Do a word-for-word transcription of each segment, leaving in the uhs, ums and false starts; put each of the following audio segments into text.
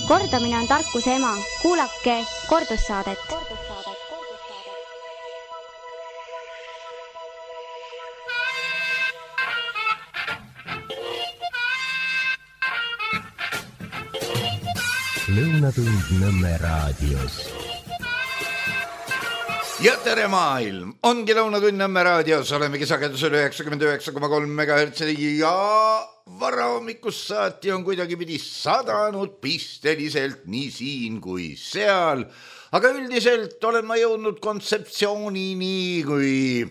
Kordamine on tarkuse ema. Kuulake kordussaadet. Lõunatund Nõmme raadios. Ja tere maailm! Ongi Lõunatund Nõmme raadios. Olemegi sagedusel üheksakümmend üheksa koma kolm megahertsi ja varahommikust saati on kuidagi pidi sadanud pisteliselt nii siin kui seal. Aga üldiselt olen ma jõudnud kontseptsioonini, kui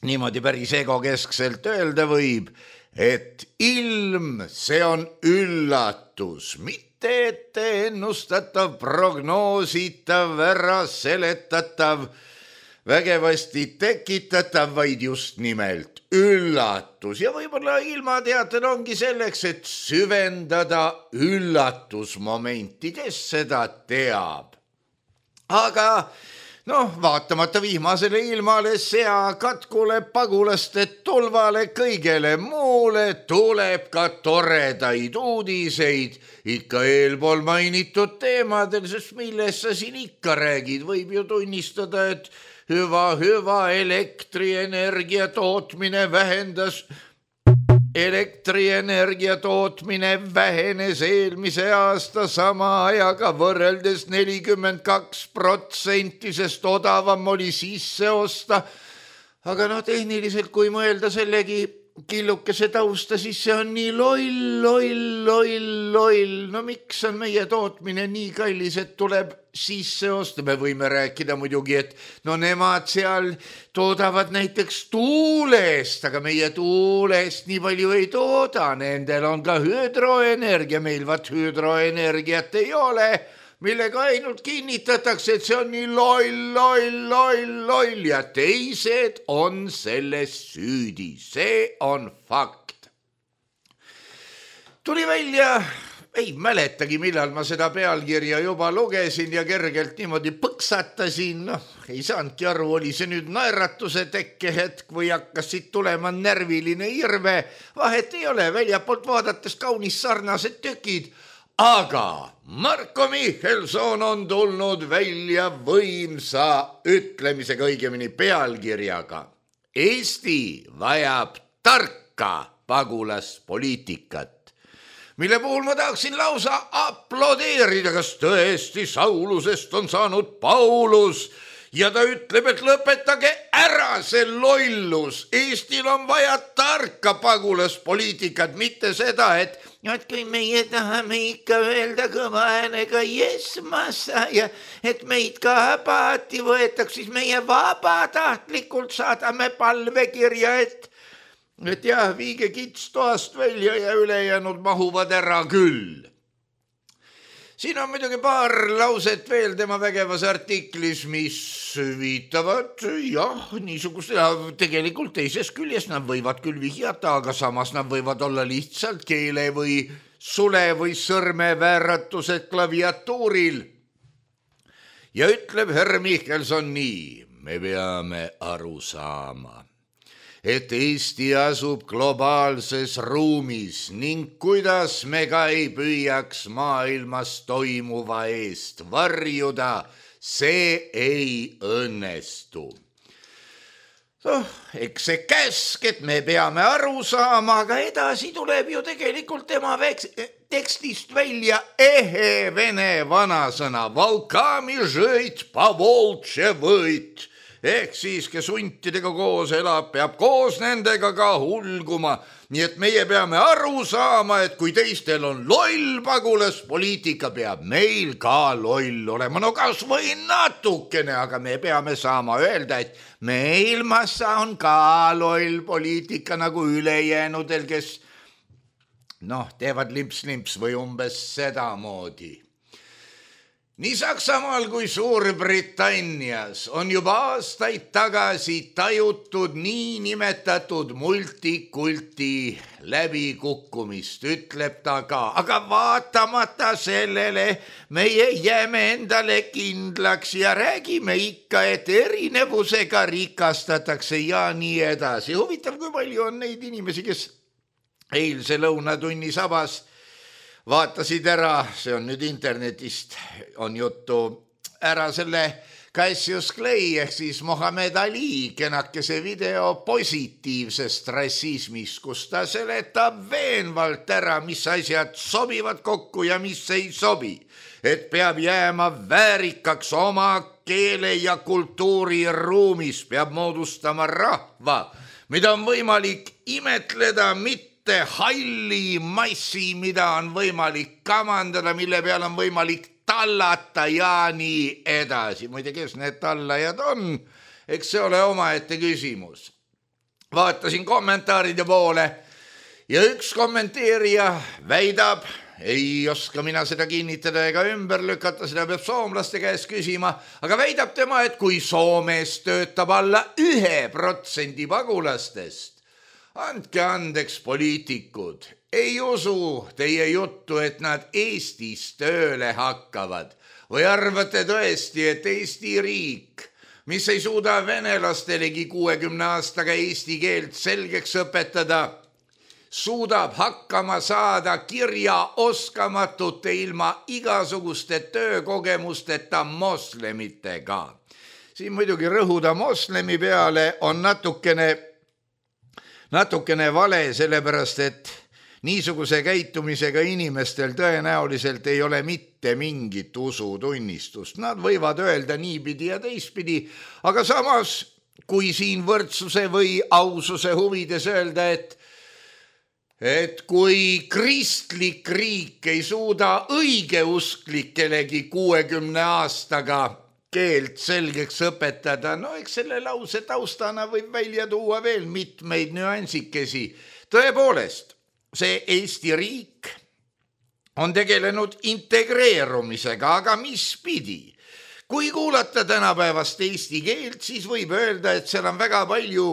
niimoodi päris egokeskselt öelda võib, et ilm, see on üllatus, mitte ette ennustatav, prognoositav, ära seletatav, vägevasti tekitatav, vaid just nimelt üllatus. Ja võib-olla ilmateatel ongi selleks, et süvendada üllatusmomenti, kes seda teab. Aga noh, vaatamata vihmasele ilmale, sea katkule, pagulaste tulvale, kõigele muule tuleb ka toredaid uudiseid ikka eelpool mainitud teemadel, sest millest sa siin ikka räägid, võib ju tunnistada, et hüva, hüva elektrienergia tootmine vähendas, elektrienergia tootmine vähenes eelmise aasta sama ajaga võrreldes nelikümmend kaks protsenti, sest odavam oli sisse osta. Aga noh, tehniliselt kui mõelda sellegi killukese tausta, siis see on nii loll, loll, loll, loll. No miks on meie tootmine nii kallis, et tuleb sisse osta? Me võime rääkida muidugi, et no nemad seal toodavad näiteks tuulest, aga meie tuulest nii palju ei tooda. Nendel on ka hüdroenergia, meil vaat hüdroenergiat ei ole, millega ainult kinnitatakse, et see on nii loll, loll, loll, loll ja teised on selles süüdi. See on fakt. Tuli välja, ei mäletagi, millal ma seda pealkirja juba lugesin ja kergelt niimoodi põksatasin. No, ei saanudki aru, oli see nüüd naeratuse tekkehetk või hakkas siit tulema närviline irve. Vahet ei ole, väljapoolt vaadates kaunis sarnased tükid. Aga Marko Michelson on tulnud välja võimsa ütlemisega, õigemini pealkirjaga. Eesti vajab tarka pagulaspoliitikat, mille puhul ma tahaksin lausa aplodeerida, kas tõesti Saulusest on saanud Paulus. Ja ta ütleb, et lõpetage ära see lollus. Eestil on vaja tarka pagulaspoliitikat, mitte seda, et, et kui meie tahame ikka öelda kõva äänega yes massa ja et meid ka paati võetaks, siis meie vabatahtlikult saadame palvekirja, et, et jah, viige kits toast välja ja ülejäänud mahuvad ära küll. Siin on muidugi paar lauset veel tema vägevas artiklis, mis viitavad, jah, niisugust, ja tegelikult teises küljes nad võivad küll vihjata, aga samas nad võivad olla lihtsalt keele või sule või sõrme vääratused klaviatuuril. Ja ütleb Herr Michelson nii, me peame aru saama, et Eesti asub globaalses ruumis ning kuidas me ka ei püüaks maailmas toimuva eest varjuda, see ei õnnestu. Oh, eks see käsk, et me peame aru saama, aga edasi tuleb ju tegelikult tema veks- tekstist välja ehe vene vanasõna Valkami žõit, pavoltše võit. Ehk siis, kes huntidega koos elab, peab koos nendega ka hulguma. Nii et meie peame aru saama, et kui teistel on loll pagulaspoliitika, peab meil ka loll olema. No kas või natukene, aga me peame saama öelda, et meil massa on ka loll poliitika nagu ülejäänudel, kes noh, teevad limps-limps või umbes sedamoodi. Nii Saksamaal kui Suurbritannias on juba aastaid tagasi tajutud nii nimetatud multikulti läbikukkumist, ütleb ta ka. Aga vaatamata sellele meie jääme endale kindlaks ja räägime ikka, et erinevusega rikastatakse ja nii edasi. Huvitav, kui palju on neid inimesi, kes eilse lõunatunni sabas vaatasid ära, see on nüüd internetist, on juttu, ära selle Cassius Clay ehk siis Mohammed Ali kenakese video positiivsest rassismist, kus ta seletab veenvalt ära, mis asjad sobivad kokku ja mis ei sobi. Et peab jääma väärikaks oma keele ja kultuuri ruumis, peab moodustama rahva, mida on võimalik imetleda, mitte halli massi, mida on võimalik kamandada, mille peal on võimalik tallata ja nii edasi. Muide, kes need tallajad on? Eks see ole omaette küsimus. Vaatasin kommentaaride poole ja üks kommenteerija väidab, ei oska mina seda kinnitada ega ümber lükata, seda peab soomlaste käest küsima, aga väidab tema, et kui Soomes töötab alla ühe protsendi pagulastest, andke andeks poliitikud, ei usu teie juttu, et nad Eestis tööle hakkavad või arvate tõesti, et Eesti riik, mis ei suuda venelastelegi kuuekümne aastaga eesti keelt selgeks õpetada, suudab hakkama saada kirjaoskamatute ilma igasuguste töökogemusteta moslemitega. Siin muidugi rõhuda moslemi peale on natukene, natukene vale, sellepärast et niisuguse käitumisega inimestel tõenäoliselt ei ole mitte mingit usutunnistust. Nad võivad öelda niipidi ja teistpidi, aga samas, kui siin võrdsuse või aususe huvides öelda, et et kui kristlik riik ei suuda õigeusklikelegi kuuekümne aastaga keelt selgeks õpetada, no eks selle lause taustana võib välja tuua veel mitmeid nüansikesi. Tõepoolest, see Eesti riik on tegelenud integreerumisega, aga mis pidi? Kui kuulata tänapäevast eesti keelt, siis võib öelda, et seal on väga palju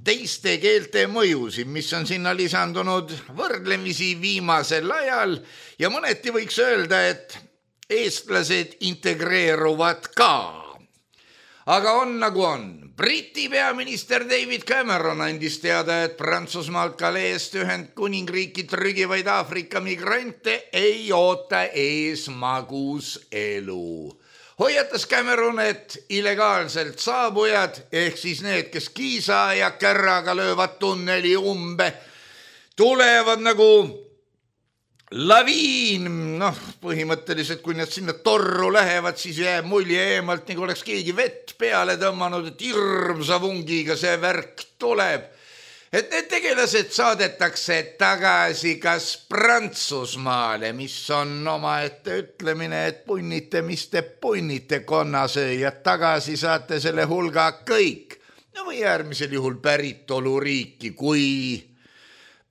teiste keelte mõjusid, mis on sinna lisandunud võrdlemisi viimasel ajal ja mõneti võiks öelda, et eestlased integreeruvad ka. Aga on nagu on. Briti peaminister David Cameron andis teada, et Prantsusmaalt Caleest Ühendkuningriiki trügivaid Aafrika migrante ei oota ees magus elu. Hoiatas Cameron, et illegaalselt saabujad, ehk siis need, kes kiisa ja kärraga löövad tunneli umbe, tulevad nagu laviin, noh, põhimõtteliselt, kui need sinna torru lähevad, siis jääb mulje eemalt, nagu oleks keegi vett peale tõmmanud, et hirmsa vungiga see värk tuleb. Et need tegelased saadetakse tagasi kas Prantsusmaale, mis on omaette ütlemine, et punnite, mis te punnite konnasööjad, tagasi saate selle hulga kõik. No või äärmisel juhul päritoluriiki, kui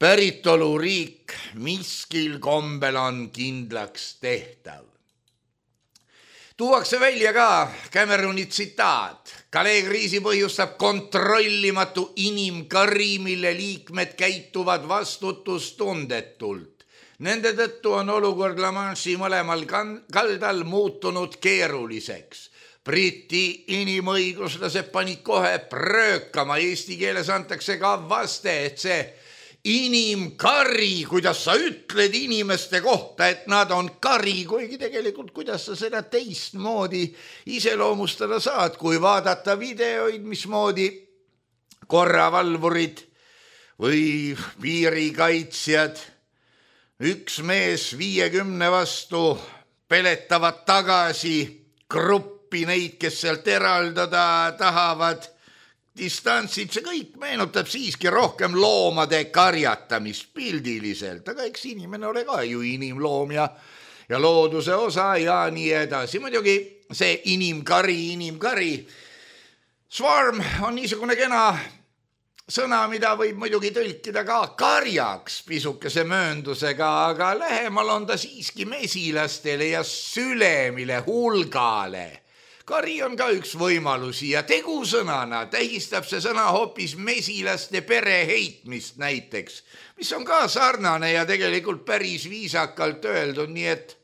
päritoluriik miskil kombel on kindlaks tehtav. Tuuakse välja ka Cameroni tsitaat. Calais kriisi põhjustab kontrollimatu inimkari, mille liikmed käituvad vastutustundetult. Nende tõttu on olukord La Manche'i mõlemal kaldal muutunud keeruliseks. Briti inimõiguslased panid kohe pröökama, eesti keeles antakse ka vaste, et see inimkari, kuidas sa ütled inimeste kohta, et nad on kari, kuigi tegelikult kuidas sa seda teistmoodi iseloomustada saad, kui vaadata videoid, mismoodi korravalvurid või piirikaitsjad, üks mees viiekümne vastu peletavad tagasi gruppi neid, kes sealt eraldada tahavad, distantsid, see kõik meenutab siiski rohkem loomade karjatamist pildiliselt, aga eks inimene ole ka ju inimloom ja, ja looduse osa ja nii edasi. Muidugi see inimkari, inimkari. Swarm on niisugune kena sõna, mida võib muidugi tõlkida ka karjaks pisukese mööndusega, aga lähemal on ta siiski mesilastele ja sülemile, hulgale. Kari on ka üks võimalusi ja tegusõnana tähistab see sõna hoopis mesilaste pere heitmist näiteks, mis on ka sarnane ja tegelikult päris viisakalt öeldud, nii et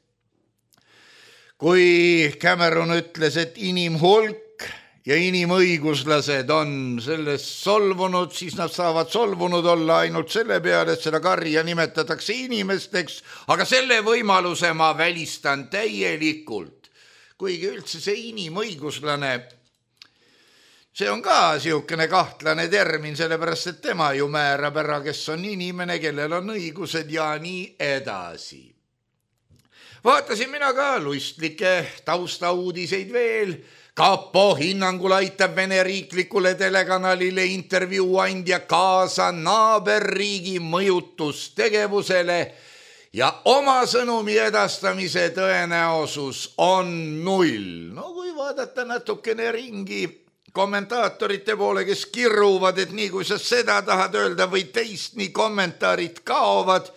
kui Cameron ütles, et inimhulk ja inimõiguslased on sellest solvunud, siis nad saavad solvunud olla ainult selle peale, et seda karja nimetatakse inimesteks, aga selle võimaluse ma välistan täielikult. Kuigi üldse see inimõiguslane, see on ka siukene kahtlane termin, sellepärast et tema ju määrab ära, kes on inimene, kellel on õigused ja nii edasi. Vaatasin mina ka luistlikke taustauudiseid veel. Kapo hinnangul aitab Vene riiklikule telekanalile intervjuu andja kaasa naaberriigi mõjutustegevusele ja oma sõnumi edastamise tõenäosus on null. No kui vaadata natukene ringi kommentaatorite poole, kes kirruvad, et nii kui sa seda tahad öelda või teist, nii kommentaarid kaovad,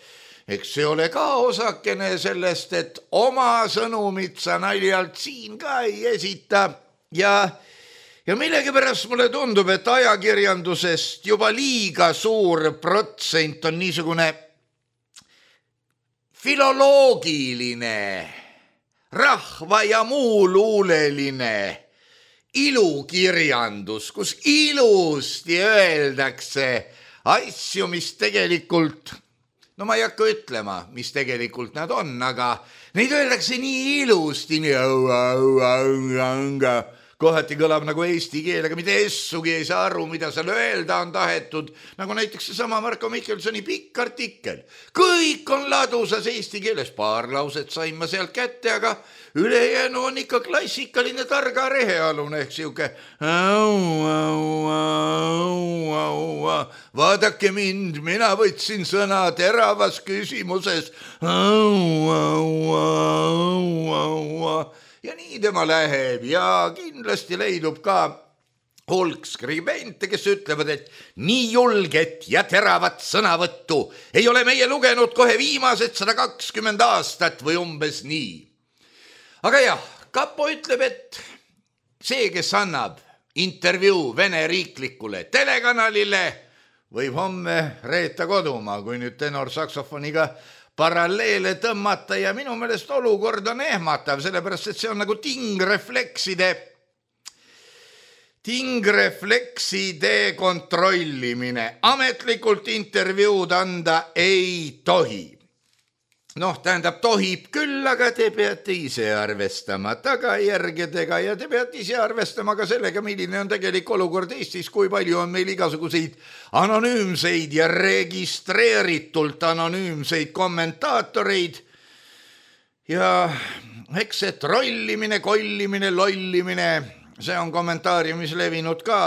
eks see ole ka osakene sellest, et oma sõnumit sa naljalt siin ka ei esita. Ja, ja millegipärast mulle tundub, et ajakirjandusest juba liiga suur protsent on niisugune filoloogiline, rahva ja muu luuleline ilukirjandus, kus ilusti öeldakse asju, mis tegelikult, no ma ei hakka ütlema, mis tegelikult nad on, aga neid öeldakse nii ilusti, nii au, au, au, au, kohati kõlab nagu eesti keel, aga mitte essugi ei saa aru, mida seal öelda on tahetud, nagu näiteks seesama Marko Mihkelsoni pikk artikkel. Kõik on ladusas eesti keeles, paar lauset sain ma sealt kätte, aga ülejäänu on ikka klassikaline targa rehealune ehk siuke au, au, au, au, vaadake mind, mina võtsin sõna teravas küsimuses au, au, au, au, ja nii tema läheb ja kindlasti leidub ka hulk skribente, kes ütlevad, et nii julget ja teravat sõnavõttu ei ole meie lugenud kohe viimased sada kakskümmend aastat või umbes nii. Aga jah, Kapo ütleb, et see, kes annab intervjuu Vene riiklikule telekanalile, võib homme reeta kodumaa, kui nüüd tenor saksofoniga paralleele tõmmata ja minu meelest olukord on ehmatav, sellepärast et see on nagu tingreflekside, tingreflekside kontrollimine. Ametlikult intervjuud anda ei tohi. Noh, tähendab, tohib küll, aga te peate ise arvestama tagajärgedega ja te peate ise arvestama ka sellega, milline on tegelik olukord Eestis, kui palju on meil igasuguseid anonüümseid ja registreeritult anonüümseid kommentaatoreid. Ja eks see trollimine, kollimine, lollimine, see on kommentaariumis levinud ka.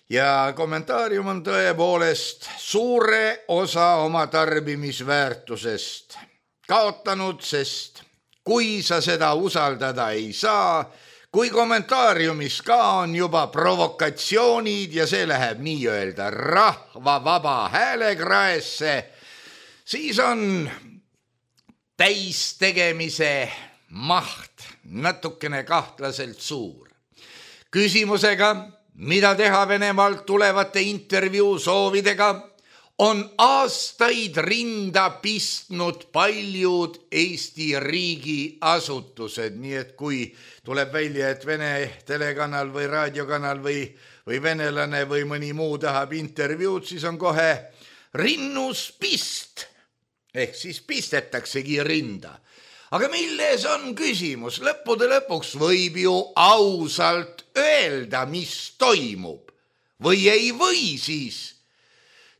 Ja kommentaarium on tõepoolest suure osa oma tarbimisväärtusest kaotanud, sest kui sa seda usaldada ei saa, kui kommentaariumis ka on juba provokatsioonid ja see läheb nii-öelda rahva vaba häälekraesse, siis on täistegemise maht natukene kahtlaselt suur. Küsimusega, mida teha Venemaalt tulevate intervjuu soovidega, on aastaid rinda pistnud paljud Eesti riigi asutused, nii et kui tuleb välja, et Vene telekanal või raadiokanal või, või venelane või mõni muu tahab intervjuud, siis on kohe rinnus pist, ehk siis pistetaksegi rinda. Aga milles on küsimus? Lõppude lõpuks võib ju ausalt öelda, mis toimub. Või ei või siis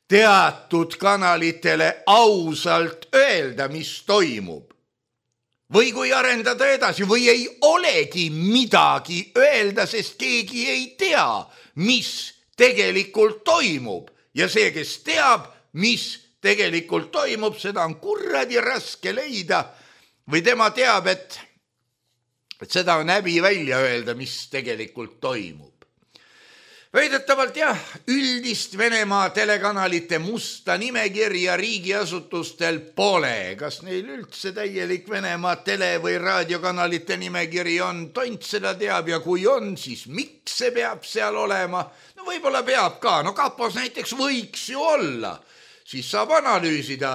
teatud kanalitele ausalt öelda, mis toimub. Või kui arendada edasi, või ei olegi midagi öelda, sest keegi ei tea, mis tegelikult toimub. Ja see, kes teab, mis tegelikult toimub, seda on kurradi raske leida. Või tema teab, et, et seda on häbi välja öelda, mis tegelikult toimub. Väidetavalt jah, üldist Venemaa telekanalite musta nimekirja riigiasutustel pole. Kas neil üldse täielik Venemaa tele- või raadiokanalite nimekiri on? Tont seda teab ja kui on, siis miks see peab seal olema? No võib-olla peab ka. No Kapos näiteks võiks ju olla. siis saab analüüsida,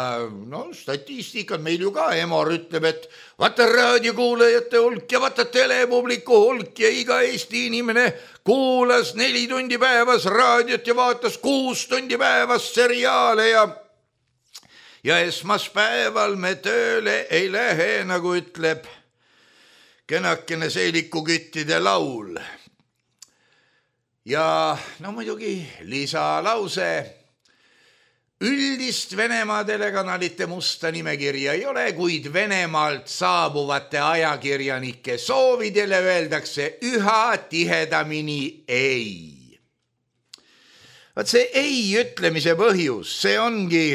no statistikat meil ju ka, Emor ütleb, et vaata raadiokuulajate hulk ja vaata telepubliku hulk ja iga Eesti inimene kuulas neli tundi päevas raadiot ja vaatas kuus tundi päevas seriaale ja ja esmaspäeval me tööle ei lähe, nagu ütleb kenakene seelikuküttide laul. Ja no muidugi lisalause, üldist Venemaa telekanalite musta nimekirja ei ole, kuid Venemaalt saabuvate ajakirjanike soovidele öeldakse üha tihedamini ei. Vaat see ei ütlemise põhjus, see ongi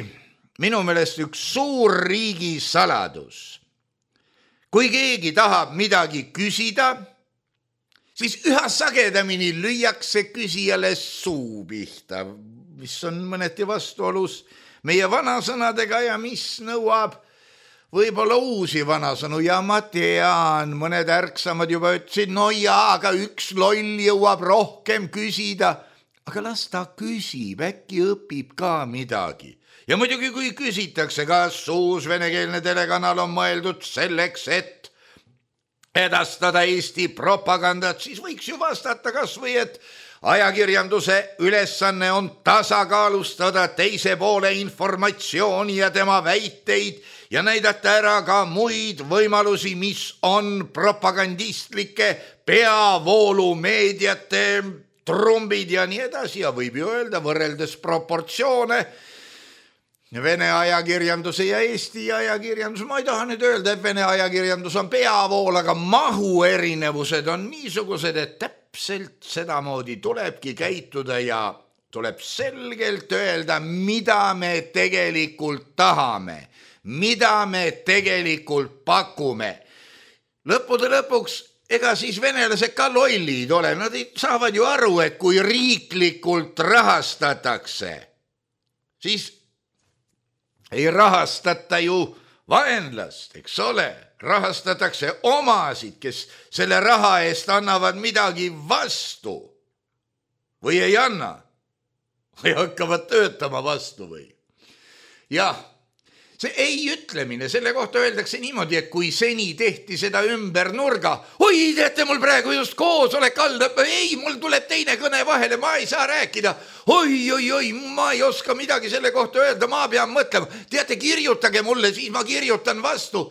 minu meelest üks suur riigi saladus. Kui keegi tahab midagi küsida, siis üha sagedamini lüüakse küsijale suu pihta, mis on mõneti vastuolus meie vanasõnadega ja mis nõuab võib-olla uusi vanasõnu. Ja ma tean, mõned ärksamad juba ütlesid, no jaa, aga üks loll jõuab rohkem küsida. Aga las ta küsib, äkki õpib ka midagi. Ja muidugi, kui küsitakse, kas uus venekeelne telekanal on mõeldud selleks, et edastada Eesti propagandat, siis võiks ju vastata kas või, et ajakirjanduse ülesanne on tasakaalustada teise poole informatsiooni ja tema väiteid ja näidata ära ka muid võimalusi, mis on propagandistlike peavoolumeediate trumbid ja nii edasi. Ja võib ju öelda, võrreldes proportsioone Vene ajakirjanduse ja Eesti ajakirjandus, ma ei taha nüüd öelda, et Vene ajakirjandus on peavool, aga mahu erinevused on niisugused, et täpselt sedamoodi tulebki käituda ja tuleb selgelt öelda, mida me tegelikult tahame, mida me tegelikult pakume. Lõppude lõpuks, ega siis venelased ka lollid ole, nad saavad ju aru, et kui riiklikult rahastatakse, siis ei rahastata ju vaenlast, eks ole, rahastatakse omasid, kes selle raha eest annavad midagi vastu või ei anna või hakkavad töötama vastu või. Jah, see ei ütlemine, selle kohta öeldakse niimoodi, et kui seni tehti seda ümber nurga, oi, teate, mul praegu just koosolek aldab, ei, mul tuleb teine kõne vahele, ma ei saa rääkida, oi, oi, oi, ma ei oska midagi selle kohta öelda, ma pean mõtlema, teate, kirjutage mulle, siis ma kirjutan vastu.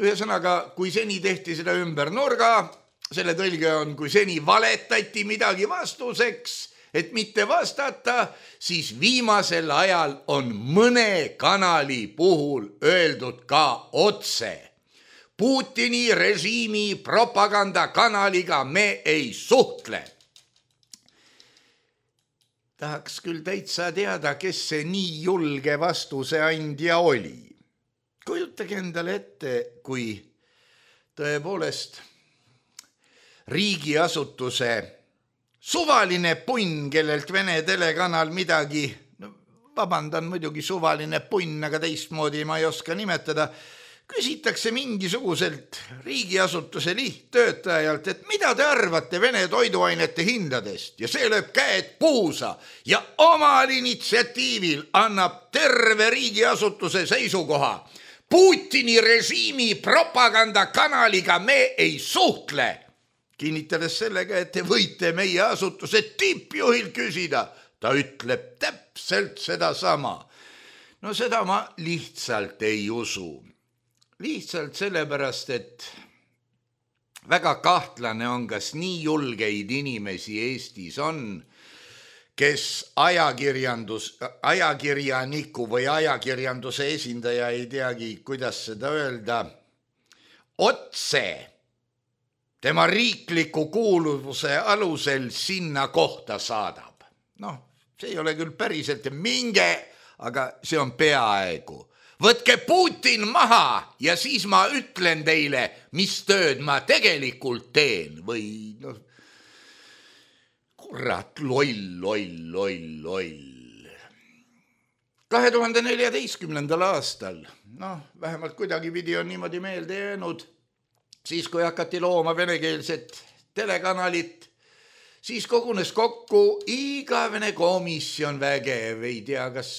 Ühesõnaga, kui seni tehti seda ümber nurga, selle tõlge on, kui seni valetati midagi vastuseks, et mitte vastata, siis viimasel ajal on mõne kanali puhul öeldud ka otse. Putini režiimi propagandakanaliga me ei suhtle. Tahaks küll täitsa teada, kes see nii julge vastuse andja oli. Kujutage endale ette, kui tõepoolest riigiasutuse suvaline punn, kellelt Vene telekanal midagi, no, vabandan muidugi suvaline punn, aga teistmoodi ma ei oska nimetada, küsitakse mingisuguselt riigiasutuse lihttöötajalt, et mida te arvate Vene toiduainete hindadest ja see lööb käed puusa ja omal initsiatiivil annab terve riigiasutuse seisukoha. Putini režiimi propagandakanaliga me ei suhtle. Kinnitades sellega, et te võite meie asutuse tippjuhil küsida. Ta ütleb täpselt seda sama. No seda ma lihtsalt ei usu. Lihtsalt sellepärast, et väga kahtlane on, kas nii julgeid inimesi Eestis on, kes ajakirjandus, ajakirjaniku või ajakirjanduse esindaja ei teagi, kuidas seda öelda, otse tema riikliku kuuluvuse alusel sinna kohta saadab. Noh, see ei ole küll päriselt minge, aga see on peaaegu. Võtke Putin maha ja siis ma ütlen teile, mis tööd ma tegelikult teen. Või noh, kurat, loll, loll, loll, loll. kahe tuhande neljateistkümnendal aastal, noh, vähemalt kuidagi pidi on niimoodi meelde jäänud, siis kui hakati looma venekeelset telekanalit, siis kogunes kokku igavene komisjon vägev, ei tea, kas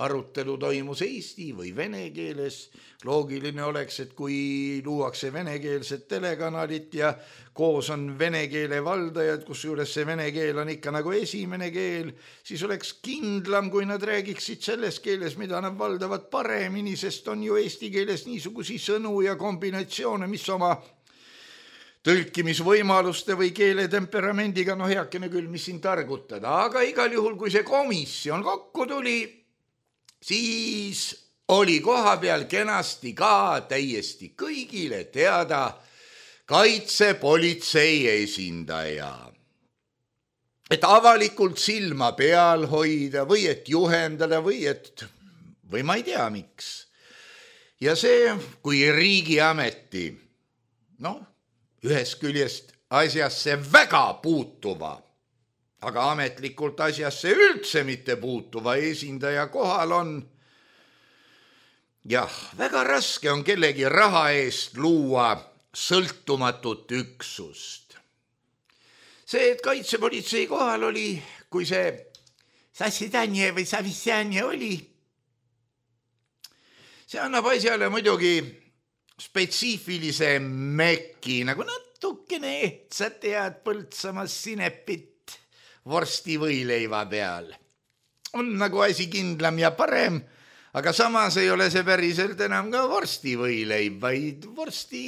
arutelu toimus eesti või vene keeles. Loogiline oleks, et kui luuakse venekeelset telekanalit ja koos on vene keele valdajad, kus juures see vene keel on ikka nagu esimene keel, siis oleks kindlam, kui nad räägiksid selles keeles, mida nad valdavad paremini, sest on ju eesti keeles niisugusi sõnu ja kombinatsioone, mis oma tõlkimisvõimaluste või keele temperamendiga, no heakene küll, mis siin targutada, aga igal juhul, kui see komisjon kokku tuli, siis oli koha peal kenasti ka täiesti kõigile teada kaitsepolitsei esindaja. Et avalikult silma peal hoida või et juhendada või et, või ma ei tea miks. Ja see, kui riigiameti, noh, ühest küljest asjasse väga puutuva, aga ametlikult asjasse üldse mitte puutuva esindaja kohal on, jah, väga raske on kellegi raha eest luua sõltumatut üksust. See, et kaitsepolitsei kohal oli, kui see Sassidanje või Savissanje oli, see annab asjale muidugi spetsiifilise meki, nagu natukene ehtsa tead Põltsamas sinepit vorsti võileiva peal. On nagu asi kindlam ja parem, aga samas ei ole see päriselt enam ka vorsti võileib, vaid vorsti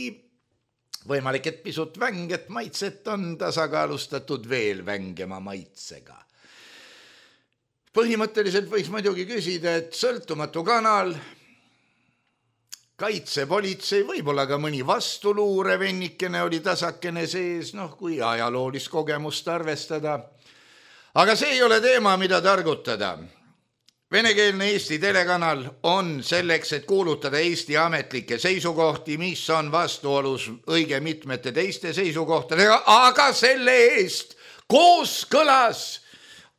võimalik, et pisut vänget maitset on tasakaalustatud veel vängema maitsega. Põhimõtteliselt võiks muidugi küsida, et sõltumatu kanal, kaitsepolitsei, võib-olla ka mõni vastuluure vennikene oli tasakene sees, noh, kui ajaloolist kogemust arvestada. Aga see ei ole teema, mida targutada. Venekeelne Eesti telekanal on selleks, et kuulutada Eesti ametlikke seisukohti, mis on vastuolus õige mitmete teiste seisukohtadega, aga selle eest kooskõlas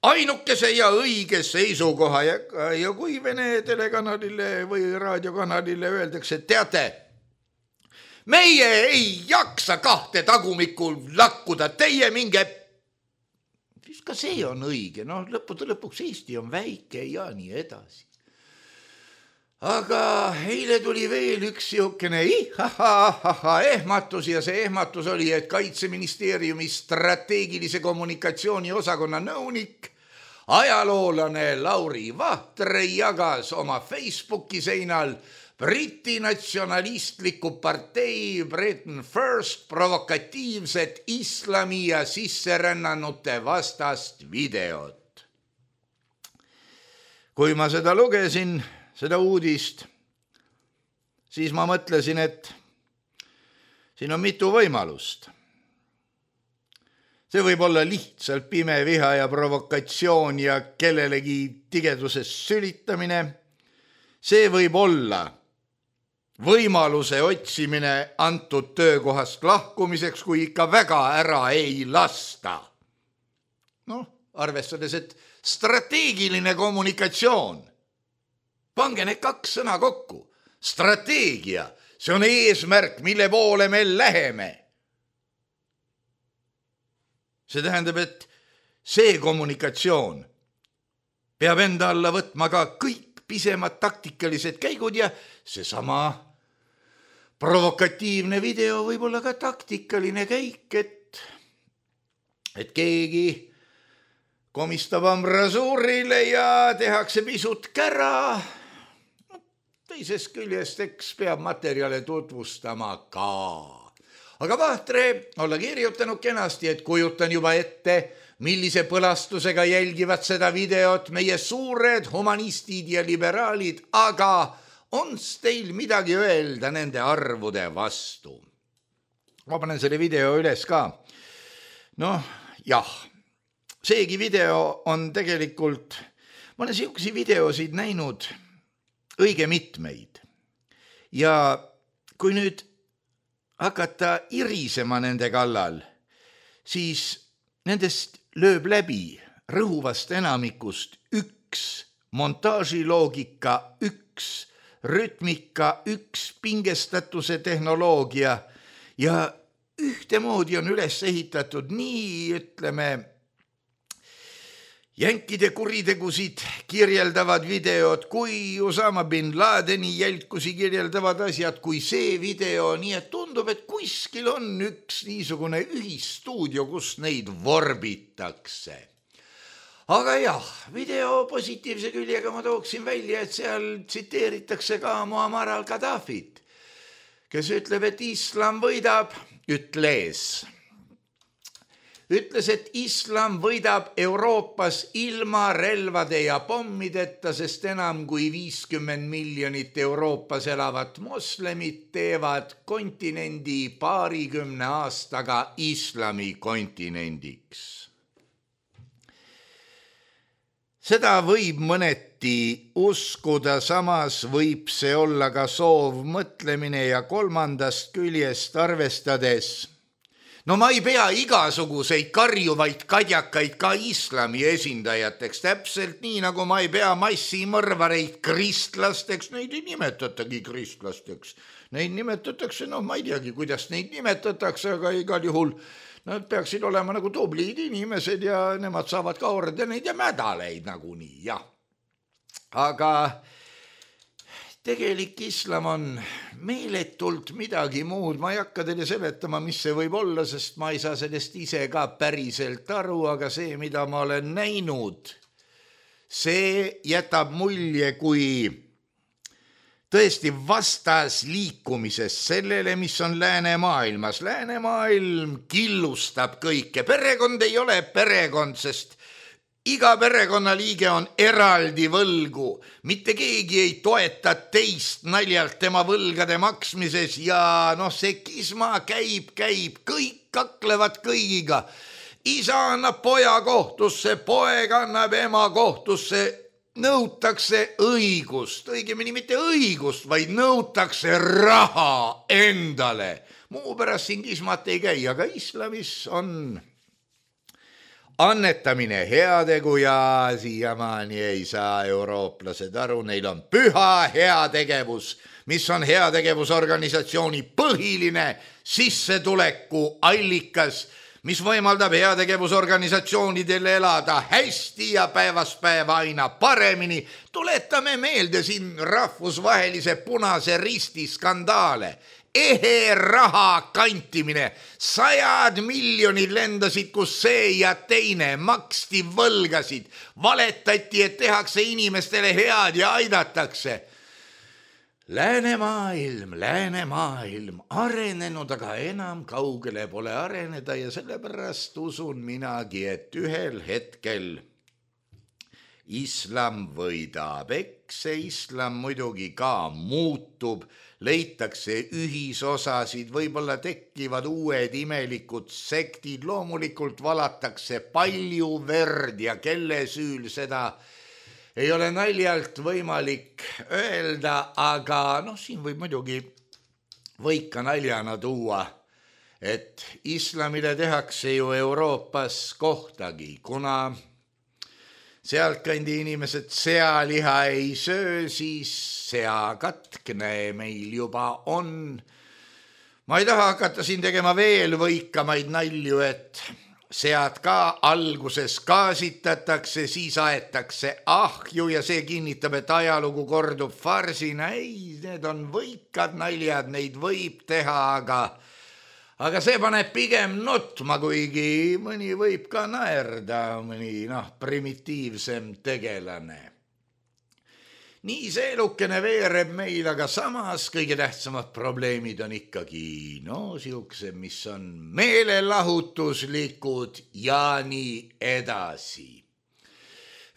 ainukese ja õige seisukoha. Ja, ja kui Vene telekanalile või raadiokanalile öeldakse, teate, meie ei jaksa kahte tagumikul lakkuda, teie minge, siis ka see on õige, no lõppude lõpuks Eesti on väike ja nii edasi. Aga eile tuli veel üks siukene ihahahaha ehmatus ja see ehmatus oli, et Kaitseministeeriumi strateegilise kommunikatsiooni osakonna nõunik, ajaloolane Lauri Vahtre jagas oma Facebooki seinal Briti natsionalistliku partei Britain First provokatiivset islami ja sisserännanute vastast videot. Kui ma seda lugesin, seda uudist, siis ma mõtlesin, et siin on mitu võimalust. See võib olla lihtsalt pime viha ja provokatsioon ja kellelegi tigeduses sülitamine. See võib olla võimaluse otsimine antud töökohast lahkumiseks, kui ikka väga ära ei lasta. Noh, arvestades, et strateegiline kommunikatsioon, pange need kaks sõna kokku. Strateegia, see on eesmärk, mille poole me läheme. See tähendab, et see kommunikatsioon peab enda alla võtma ka kõik pisemad taktikalised käigud ja seesama provokatiivne video võib olla ka taktikaline käik, et, et keegi komistab ambrasuurile ja tehakse pisut kära. Teisest küljest eks peab materjale tutvustama ka. Aga Vahtre olla kirjutanud kenasti, et kujutan juba ette, millise põlastusega jälgivad seda videot meie suured humanistid ja liberaalid, aga on teil midagi öelda nende arvude vastu? Ma panen selle video üles ka. Noh, jah, seegi video on tegelikult, ma olen siuksi videosid näinud õige mitmeid. Ja kui nüüd hakata irisema nende kallal, siis nendest lööb läbi rõhuvast enamikust üks montaažiloogika, üks rütmika, üks pingestatuse tehnoloogia ja ühtemoodi on üles ehitatud nii, ütleme, jänkide kuritegusid kirjeldavad videod, kui Osama bin Ladeni jälkusi kirjeldavad asjad, kui see video, nii et tundub, et kuskil on üks niisugune ühisstuudio, kus neid vorbitakse. Aga jah, video positiivse küljega ma tooksin välja, et seal tsiteeritakse ka Muammar al-Gaddafit, kes ütleb, et islam võidab, ütles. Ütles, et islam võidab Euroopas ilma relvade ja pommideta, sest enam kui viiskümmend miljonit Euroopas elavat moslemit teevad kontinendi paarikümne aastaga islami kontinendiks. Seda võib mõneti uskuda, samas võib see olla ka soov mõtlemine ja kolmandast küljest arvestades. No ma ei pea igasuguseid karjuvaid kadjakaid ka islami esindajateks, täpselt nii nagu ma ei pea massimõrvareid kristlasteks, neid ei nimetatagi kristlasteks. Neid nimetatakse, no ma ei teagi, kuidas neid nimetatakse, aga igal juhul nad peaksid olema nagu tublid inimesed ja nemad saavad ka ordeneid ja mädaleid nagunii, jah. Aga tegelik islam on meeletult midagi muud. Ma ei hakka teile seletama, mis see võib olla, sest ma ei saa sellest ise ka päriselt aru, aga see, mida ma olen näinud, see jätab mulje kui tõesti vastas liikumises sellele, mis on läänemaailmas. Läänemaailm killustab kõike. Perekond ei ole perekond, sest iga perekonnaliige on eraldi võlgu. Mitte keegi ei toeta teist naljalt tema võlgade maksmises ja noh, see kisma käib, käib, kõik kaklevad kõigiga. Isa annab poja kohtusse, poeg annab ema kohtusse, nõutakse õigust, õigemini mitte õigust, vaid nõutakse raha endale. Muu pärast siin kismat ei käi, aga islamis on annetamine heategu ja siiamaani ei saa eurooplased aru, neil on püha heategevus, mis on heategevusorganisatsiooni põhiline sissetuleku allikas, mis võimaldab heategevusorganisatsioonidel elada hästi ja päevast päeva aina paremini. Tuletame meelde siin rahvusvahelise Punase Risti skandaale. Ehe raha kantimine, sajad miljonid lendasid, kus see ja teine, maksti võlgasid, valetati, et tehakse inimestele head ja aidatakse. Läänemaailm, läänemaailm, arenenud, aga enam kaugele pole areneda ja sellepärast usun minagi, et ühel hetkel islam võidab. Eks see islam muidugi ka muutub, leitakse ühisosasid, võib-olla tekkivad uued imelikud sektid, loomulikult valatakse palju verd ja kelle süül seda ei ole naljalt võimalik öelda, aga noh, siin võib muidugi võika naljana tuua, et islamile tehakse ju Euroopas kohtagi, kuna sealtkandi inimesed sealiha ei söö, siis seakatkne meil juba on. Ma ei taha hakata siin tegema veel võikamaid nalju, et sead ka alguses gaasitatakse, siis aetakse ahju ja see kinnitab, et ajalugu kordub farsina. Ei, need on võikad naljad, neid võib teha, aga Aga see paneb pigem nutma, kuigi mõni võib ka naerda, mõni noh, primitiivsem tegelane. Nii see elukene veereb meil, aga samas kõige tähtsamad probleemid on ikkagi no siukse, mis on meelelahutuslikud ja nii edasi.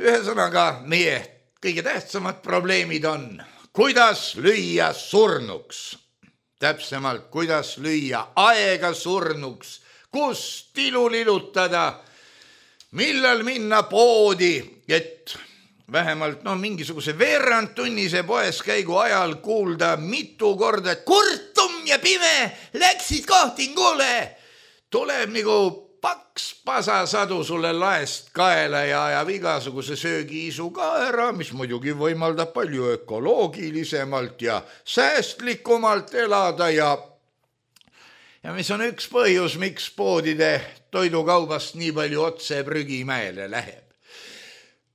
Ühesõnaga, meie kõige tähtsamad probleemid on, kuidas lüüa surnuks. Täpsemalt, kuidas lüüa aega surnuks, kus tilu lilutada, millal minna poodi, et vähemalt no, mingisuguse veerandtunnise poes käigu ajal kuulda mitu korda, et kurtum ja pime läksid kohtingule. Tuleb nagu paks pasasadu sulle laest kaela ja ajab igasuguse söögiisu ka ära, mis muidugi võimaldab palju ökoloogilisemalt ja säästlikumalt elada ja, ja mis on üks põhjus, miks poodide toidukaubast nii palju otse prügimäele läheb.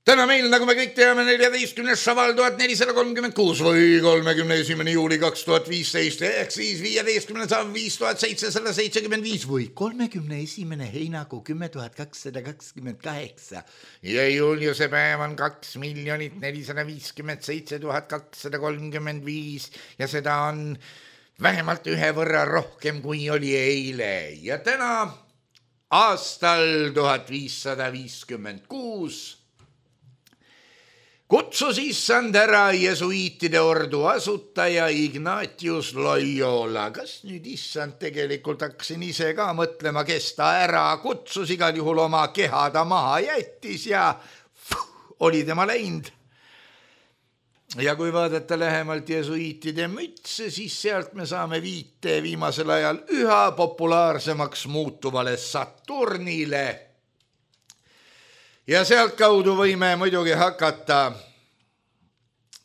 täna meil, nagu me kõik teame, neljateistkümnes šaval tuhat nelisada kolmkümmend kuus või kolmekümne esimene juuli kaks tuhat viisteist ehk siis viieteistkümnes šaval viis tuhat seitsesada seitsekümmend viis või kolmekümne esimene heinakuu kümme tuhat kakssada kakskümmend kaheksa ja Juliuse päev on kaks miljonit nelisada viiskümmend seitse tuhat kakssada kolmkümmend viis ja seda on vähemalt ühe võrra rohkem kui oli eile ja täna aastal tuhat viissada viiskümmend kuus kutsus issand ära jesuiitide ordu asutaja Ignatius Loyola. Kas nüüd issand tegelikult hakkasin ise ka mõtlema, kes ta ära kutsus, igal juhul oma keha ta maha jättis ja fuh, oli tema läinud. Ja kui vaadata lähemalt jesuiitide mütse, siis sealt me saame viite viimasel ajal üha populaarsemaks muutuvale Saturnile. Ja sealt kaudu võime muidugi hakata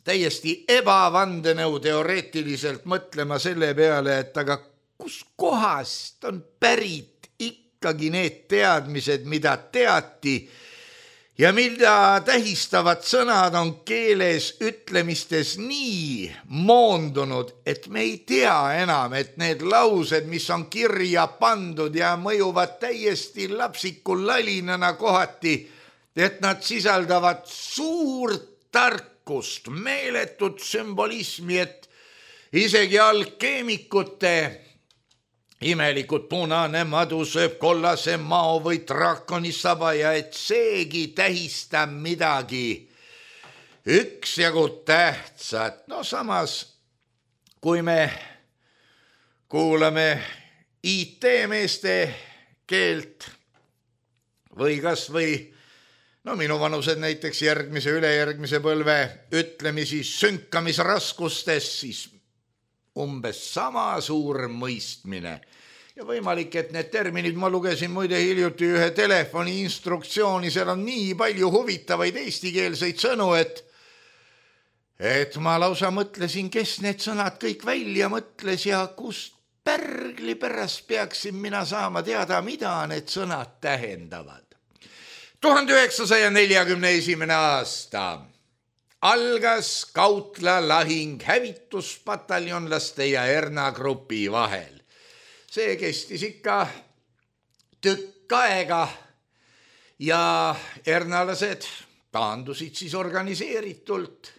täiesti ebavandenõu teoreetiliselt mõtlema selle peale, et aga kus kohast on pärit ikkagi need teadmised, mida teati ja mida tähistavad sõnad on keeles ütlemistes nii moondunud, et me ei tea enam, et need laused, mis on kirja pandud ja mõjuvad täiesti lapsikul lalinana kohati, et nad sisaldavad suurt tarkust, meeletut sümbolismi, et isegi alkeemikute imelikud punane madu sööb kollase mao või draakoni saba ja et seegi tähistab midagi üksjagu tähtsat. No samas, kui me kuulame I T-meeste keelt või kas või no minu vanused näiteks järgmise ülejärgmise põlve ütlemisi sünkamisraskustes, siis umbes sama suur mõistmine. Ja võimalik, et need terminid, ma lugesin muide hiljuti ühe telefoni instruktsiooni, seal on nii palju huvitavaid eestikeelseid sõnu, et, et ma lausa mõtlesin, kes need sõnad kõik välja mõtles ja kust pärgli pärast peaksin mina saama teada, mida need sõnad tähendavad. tuhande üheksasaja neljakümne esimene aasta algas Kautla lahing hävituspataljonlaste ja Erna grupi vahel. See kestis ikka tükk aega ja ernalased taandusid siis organiseeritult.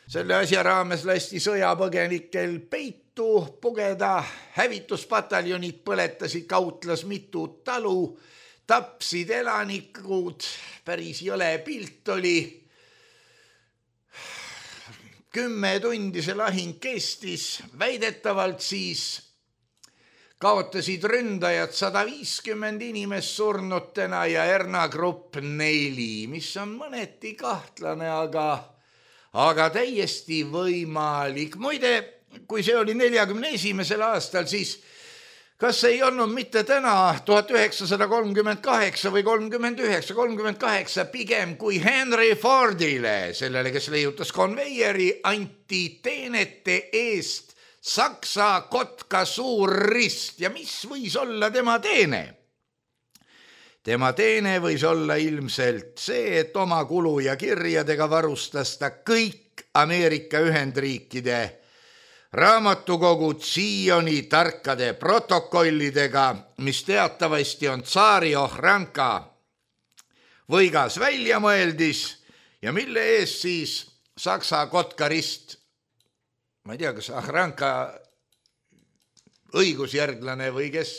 Selle asja raames lasti sõjapõgenikel peitu pugeda, hävituspataljonid põletasid Kautlas mitu talu, tapsid elanikud, päris jõle pilt oli. Kümme tundi see lahing kestis, väidetavalt siis kaotasid ründajad sada viiskümmend inimest surnutena ja Erna grupp neli, mis on mõneti kahtlane, aga, aga täiesti võimalik. Muide, kui see oli neljakümne esimesel aastal, siis kas ei olnud mitte täna tuhat üheksasada kolmkümmend kaheksa või kolmkümmend üheksa, kolmkümmend kaheksa pigem kui Henry Fordile, sellele, kes leiutas konveieri, anti teenete eest Saksa kotka suur rist ja mis võis olla tema teene? Tema teene võis olla ilmselt see, et oma kulu ja kirjadega varustas ta kõik Ameerika Ühendriikide raamatukogu Zioni tarkade protokollidega, mis teatavasti on tsaari Ohranka võigas välja mõeldis ja mille eest siis Saksa kotkarist, ma ei tea, kas Ohranka õigusjärglane või kes,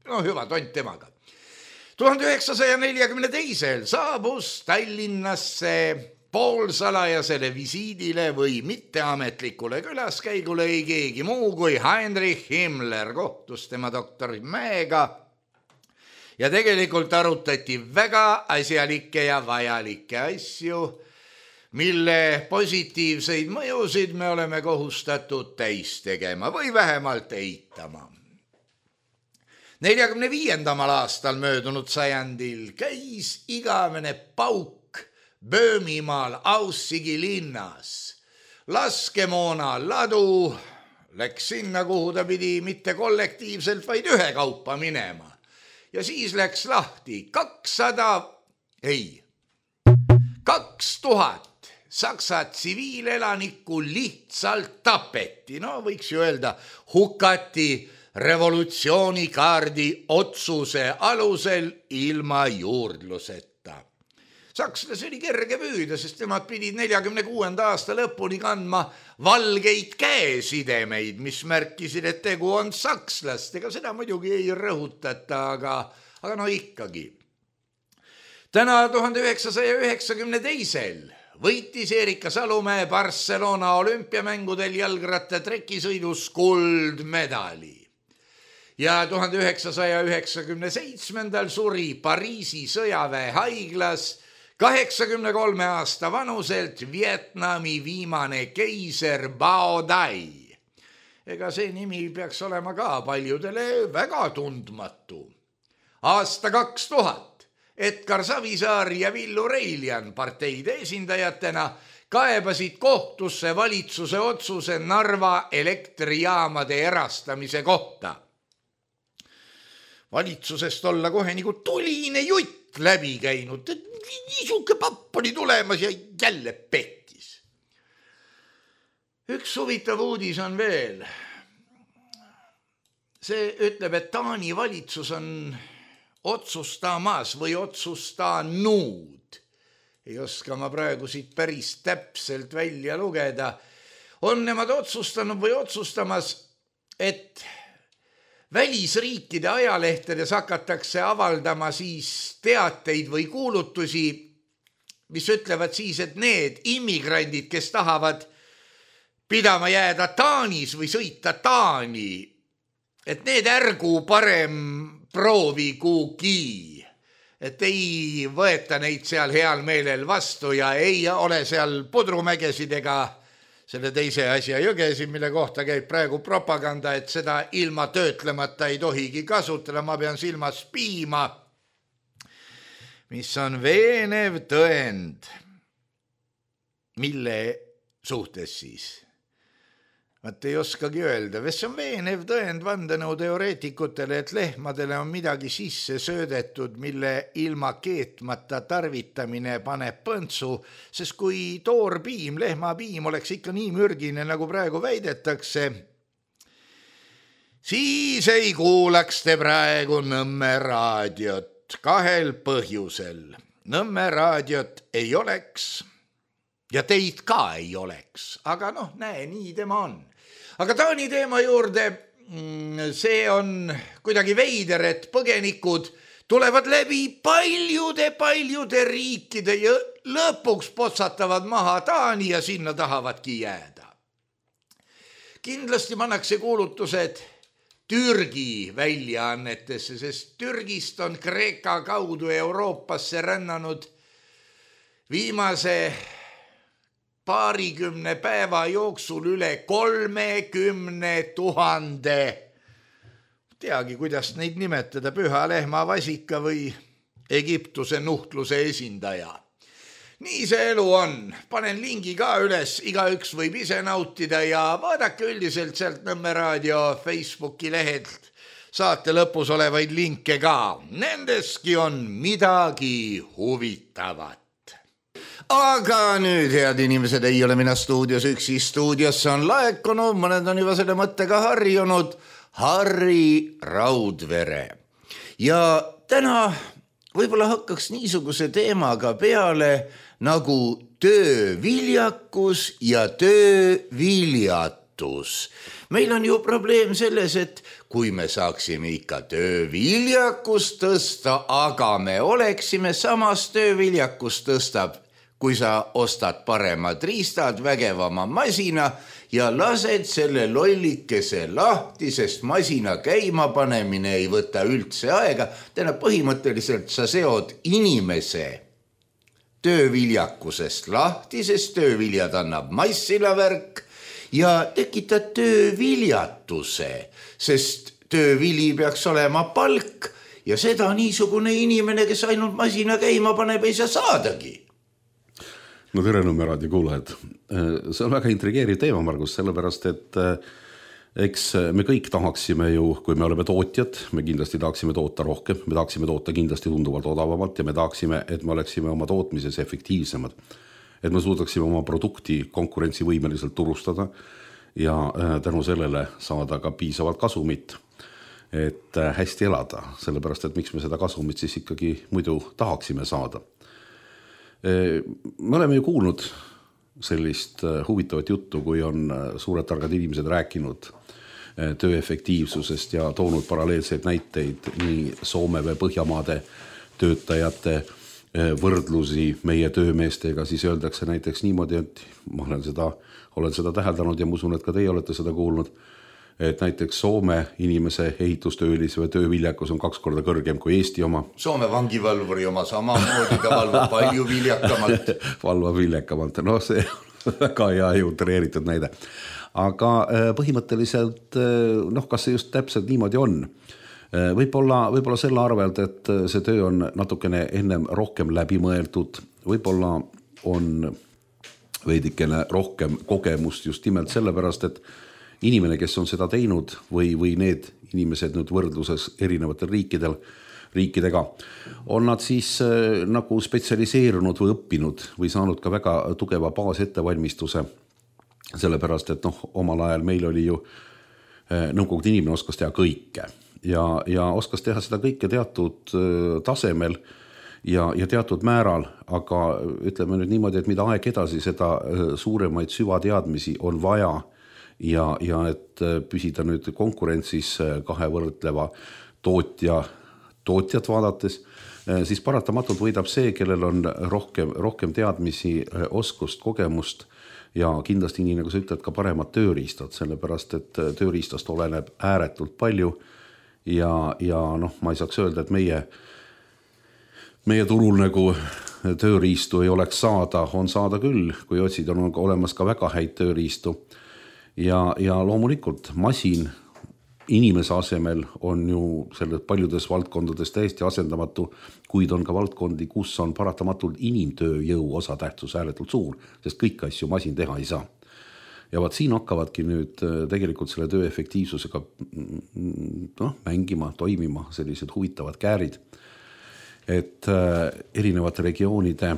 no hüva tont temaga. tuhande üheksasaja neljakümne teisel saabus Tallinnasse poolsalajasele visiidile või mitteametlikule külaskäigule ei keegi muu kui Heinrich Himmler, kohtus tema doktori Mäega ja tegelikult arutati väga asjalikke ja vajalikke asju, mille positiivseid mõjusid me oleme kohustatud täis tegema või vähemalt eitama. neljakümne viiendamal aastal möödunud sajandil käis igavene pauk Böömimaal Aussigi linnas. Laskemoona ladu läks sinna, kuhu ta pidi mitte kollektiivselt, vaid ühekaupa minema. Ja siis läks lahti kakssada, ei, kaks tuhat Saksa tsiviilelanikku lihtsalt tapeti, no võiks ju öelda, hukati revolutsioonikaardi otsuse alusel ilma juurdluseta. Sakslasi oli kerge püüda, sest nemad pidid neljakümne kuuenda aasta lõpuni kandma valgeid käesidemeid, mis märkisid, et tegu on sakslastega. Seda muidugi ei rõhutata, aga, aga no ikkagi. Täna tuhande üheksasaja üheksakümne teisel võitis Erika Salumäe Barcelona olümpiamängudel jalgratta trekisõidus kuldmedali. Ja tuhande üheksasaja üheksakümne seitsmendal suri Pariisi sõjaväe haiglas kaheksakümne kolme aasta vanuselt Vietnami viimane keiser Bao Dai. Ega see nimi peaks olema ka paljudele väga tundmatu. Aasta kaks tuhat Edgar Savisaar ja Villu Reiljan parteide esindajatena kaebasid kohtusse valitsuse otsuse Narva elektrijaamade erastamise kohta. Valitsusest olla kohe nagu tuline jutt läbi käinud, et niisuke papp oli tulemas ja jälle pekkis. Üks huvitav uudis on veel. See ütleb, et Taani valitsus on otsustamas või otsustanud. Ei oska ma praegu siit päris täpselt välja lugeda. On nemad otsustanud või otsustamas, et välisriikide ajalehtedes hakatakse avaldama siis teateid või kuulutusi, mis ütlevad siis, et need immigrandid, kes tahavad pidama jääda Taanis või sõita Taani, et need ärgu parem proovi kuugi, et ei võeta neid seal heal meelel vastu ja ei ole seal pudrumägesid ega selle teise asja jõgesi, mille kohta käib praegu propaganda, et seda ilma töötlemata ei tohigi kasutada. Ma pean silmas piima, mis on veenev tõend, mille suhtes siis. Vaat ei oskagi öelda, see on veenev tõend vandenõuteoreetikutele, et lehmadele on midagi sisse söödetud, mille ilma keetmata tarvitamine paneb põntsu, sest kui toorpiim, lehmapiim oleks ikka nii mürgine, nagu praegu väidetakse, siis ei kuulaks te praegu Nõmme raadiot kahel põhjusel. Nõmme raadiot ei oleks ja teid ka ei oleks, aga noh, näe, nii tema on. Aga Taani teema juurde, see on kuidagi veider, et põgenikud tulevad läbi paljude-paljude riikide ja lõpuks potsatavad maha Taani ja sinna tahavadki jääda. Kindlasti pannakse kuulutused Türgi väljaannetesse, sest Türgist on Kreeka kaudu Euroopasse rännanud viimase paarikümne päeva jooksul üle kolmekümne tuhande. Teagi, kuidas neid nimetada, püha lehma vasika või Egiptuse nuhtluse esindaja. Nii see elu on. Panen lingi ka üles, igaüks võib ise nautida ja vaadake üldiselt sealt Nõmme raadio Facebooki lehelt saate lõpus olevaid linke ka. Nendeski on midagi huvitavat. Aga nüüd, head inimesed, ei ole mina stuudios üksi, stuudiosse on laekunud, mõned on juba selle mõttega harjunud, Harri Raudvere. Ja täna võib-olla hakkaks niisuguse teemaga peale nagu tööviljakus ja tööviljatus. Meil on ju probleem selles, et kui me saaksime ikka tööviljakust tõsta, aga me oleksime samas tööviljakust tõstab, kui sa ostad paremad riistad, vägevama masina ja lased selle lollikese lahti, sest masina käima panemine ei võta üldse aega. Täna põhimõtteliselt sa seod inimese tööviljakusest lahti, sest tööviljad annab massilavärk ja tekitad tööviljatuse, sest töövili peaks olema palk ja seda niisugune inimene, kes ainult masina käima paneb, ei saa saadagi. No tere Nõmme raadio kuulajad. See on väga intrigeeriv teema, Margus, sellepärast, et eks me kõik tahaksime ju, kui me oleme tootjad, me kindlasti tahaksime toota rohkem, me tahaksime toota kindlasti tunduvalt odavamalt ja me tahaksime, et me oleksime oma tootmises efektiivsemad. Et me suudaksime oma produkti konkurentsivõimeliselt turustada ja tänu sellele saada ka piisavalt kasumit, et hästi elada, sellepärast, et miks me seda kasumit siis ikkagi muidu tahaksime saada. Me oleme ju kuulnud sellist huvitavat juttu, kui on suured targad inimesed rääkinud töö efektiivsusest ja toonud paralleelseid näiteid nii Soome või Põhjamaade töötajate võrdlusi meie töömeestega, siis öeldakse näiteks niimoodi, et ma olen seda, olen seda täheldanud ja ma usun, et ka teie olete seda kuulnud, et näiteks Soome inimese ehitustöölise või tööviljakus on kaks korda kõrgem kui Eesti oma. Soome vangivalvuri oma samamoodi, ta valvab palju viljakamalt. Valvab viljakamalt, no see on väga hea jutreeritud näide. Aga põhimõtteliselt, noh, kas see just täpselt niimoodi on? Võib-olla, võib-olla selle arvelt, et see töö on natukene ennem rohkem läbimõeldud, võib-olla on veidikene rohkem kogemust just nimelt sellepärast, et inimene, kes on seda teinud või, või need inimesed nüüd võrdluses erinevatel riikidel, riikidega, on nad siis nagu spetsialiseerunud või õppinud või saanud ka väga tugeva baasettevalmistuse, sellepärast, et noh, omal ajal meil oli ju nõukogude inimene oskas teha kõike ja, ja oskas teha seda kõike teatud tasemel ja, ja teatud määral, aga ütleme nüüd niimoodi, et mida aeg edasi, seda suuremaid süvateadmisi on vaja ja, ja et püsida nüüd konkurentsis kahe võrdleva tootja, tootjat vaadates, siis paratamatult võidab see, kellel on rohkem, rohkem teadmisi, oskust, kogemust ja kindlasti nii, nagu sa ütled, ka paremad tööriistad, sellepärast, et tööriistast oleneb ääretult palju ja, ja noh, ma ei saaks öelda, et meie, meie turul nagu tööriistu ei oleks saada, on saada küll, kui otsid on olemas ka väga häid tööriistu ja, ja loomulikult masin inimese asemel on ju selles paljudes valdkondades täiesti asendamatu, kuid on ka valdkondi, kus on paratamatult inimtööjõu osatähtsus ääretult suur, sest kõik asju masin teha ei saa. Ja vaat siin hakkavadki nüüd tegelikult selle töö efektiivsusega no, mängima, toimima sellised huvitavad käärid, et erinevate regioonide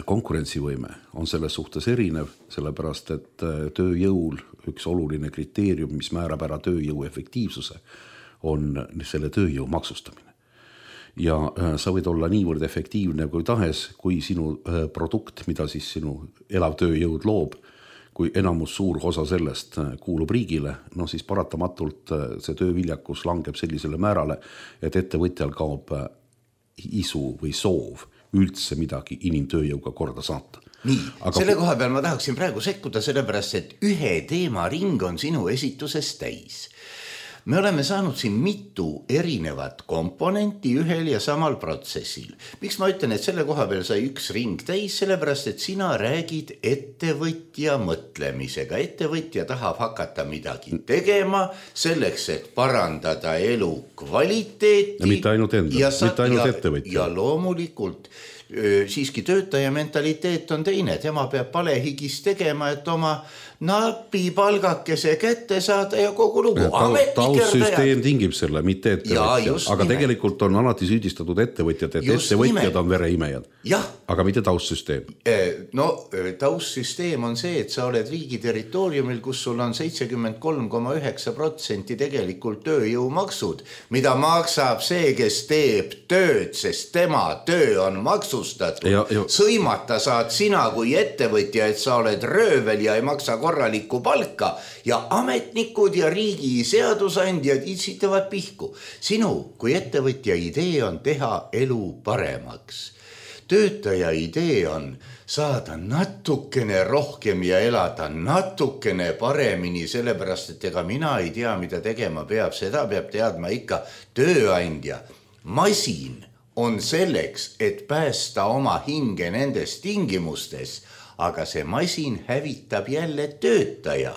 konkurentsivõime on selles suhtes erinev, sellepärast, et tööjõul üks oluline kriteerium, mis määrab ära tööjõu efektiivsuse, on selle tööjõu maksustamine. Ja sa võid olla niivõrd efektiivne kui tahes, kui sinu produkt, mida siis sinu elav tööjõud loob, kui enamus suur osa sellest kuulub riigile, no siis paratamatult see tööviljakus langeb sellisele määrale, et ettevõtjal kaob isu või soov üldse midagi inimtööjõuga korda saata. Nii, aga selle koha peal ma tahaksin praegu sekkuda sellepärast, et ühe teema ring on sinu esituses täis. Me oleme saanud siin mitu erinevat komponenti ühel ja samal protsessil. Miks ma ütlen, et selle koha peal sai üks ring täis, sellepärast, et sina räägid ettevõtja mõtlemisega. Ettevõtja tahab hakata midagi tegema selleks, et parandada elu kvaliteeti. Ja mitte ainult enda, ja sa, mitte ainult ja, ettevõtja. Ja loomulikult siiski töötaja mentaliteet on teine, tema peab palehigis tegema, et oma napi palgakese kätte saada ja kogu lugu. Taustsüsteem tingib selle, mitte ettevõtja. Aga nimelt. Tegelikult on alati süüdistatud ettevõtjad, et just ettevõtjad nimelt. On vereimejad. Aga mitte taustsüsteem. No taustsüsteem on see, et sa oled riigi territooriumil, kus sul on seitsekümmend kolm koma üheksa protsenti tegelikult tööjõumaksud, mida maksab see, kes teeb tööd, sest tema töö on maksustatud. Ja, ja. Sõimata saad sina kui ettevõtja, et sa oled röövel ja ei maksa korralikku palka ja ametnikud ja riigi seadusandjad itsitavad pihku. Sinu kui ettevõtja idee on teha elu paremaks. Töötaja idee on saada natukene rohkem ja elada natukene paremini, sellepärast, et ega mina ei tea, mida tegema peab, seda peab teadma ikka tööandja. Masin on selleks, et päästa oma hinge nendes tingimustes, aga see masin hävitab jälle töötaja.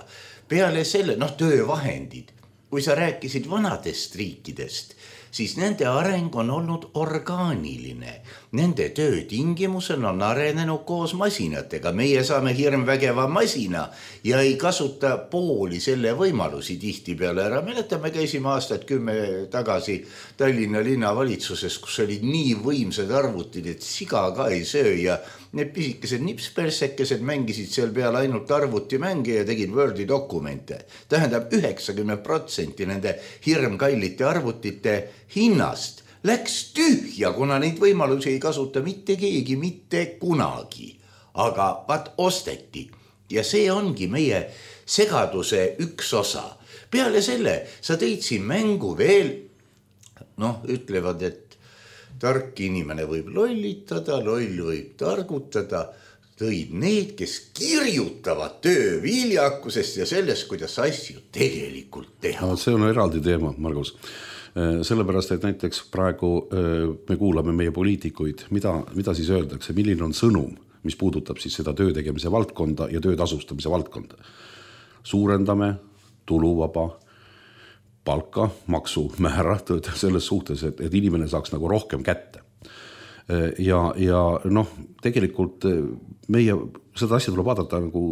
Peale selle, noh, töövahendid. Kui sa rääkisid vanadest riikidest, siis nende areng on olnud orgaaniline. Nende töötingimusel on arenenud koos masinatega. Meie saame hirmvägeva masina ja ei kasuta pooli selle võimalusi tihti peale ära. Mäletame, käisime aastat kümme tagasi Tallinna linnavalitsuses, kus olid nii võimsad arvutid, et siga ka ei söö ja need pisikesed nipspersekesed mängisid seal peal ainult arvutimänge ja tegid Wordi dokumente. Tähendab üheksakümmend protsenti nende hirmkallite arvutite hinnast läks tühja, kuna neid võimalusi ei kasuta mitte keegi, mitte kunagi. Aga vaat osteti ja see ongi meie segaduse üks osa. Peale selle sa tõid siin mängu veel, noh, ütlevad, et tark inimene võib lollitada, loll võib targutada, tõid need, kes kirjutavad töö viljakusest ja sellest, kuidas asju tegelikult teha. No, see on eraldi teema, Margus. Sellepärast, et näiteks praegu me kuulame meie poliitikuid, mida, mida siis öeldakse, milline on sõnum, mis puudutab siis seda töö tegemise valdkonda ja töö tasustamise valdkonda. Suurendame tuluvaba palka, maksu määra selles suhtes, et, et inimene saaks nagu rohkem kätte. Ja, ja noh, tegelikult meie seda asja tuleb vaadata nagu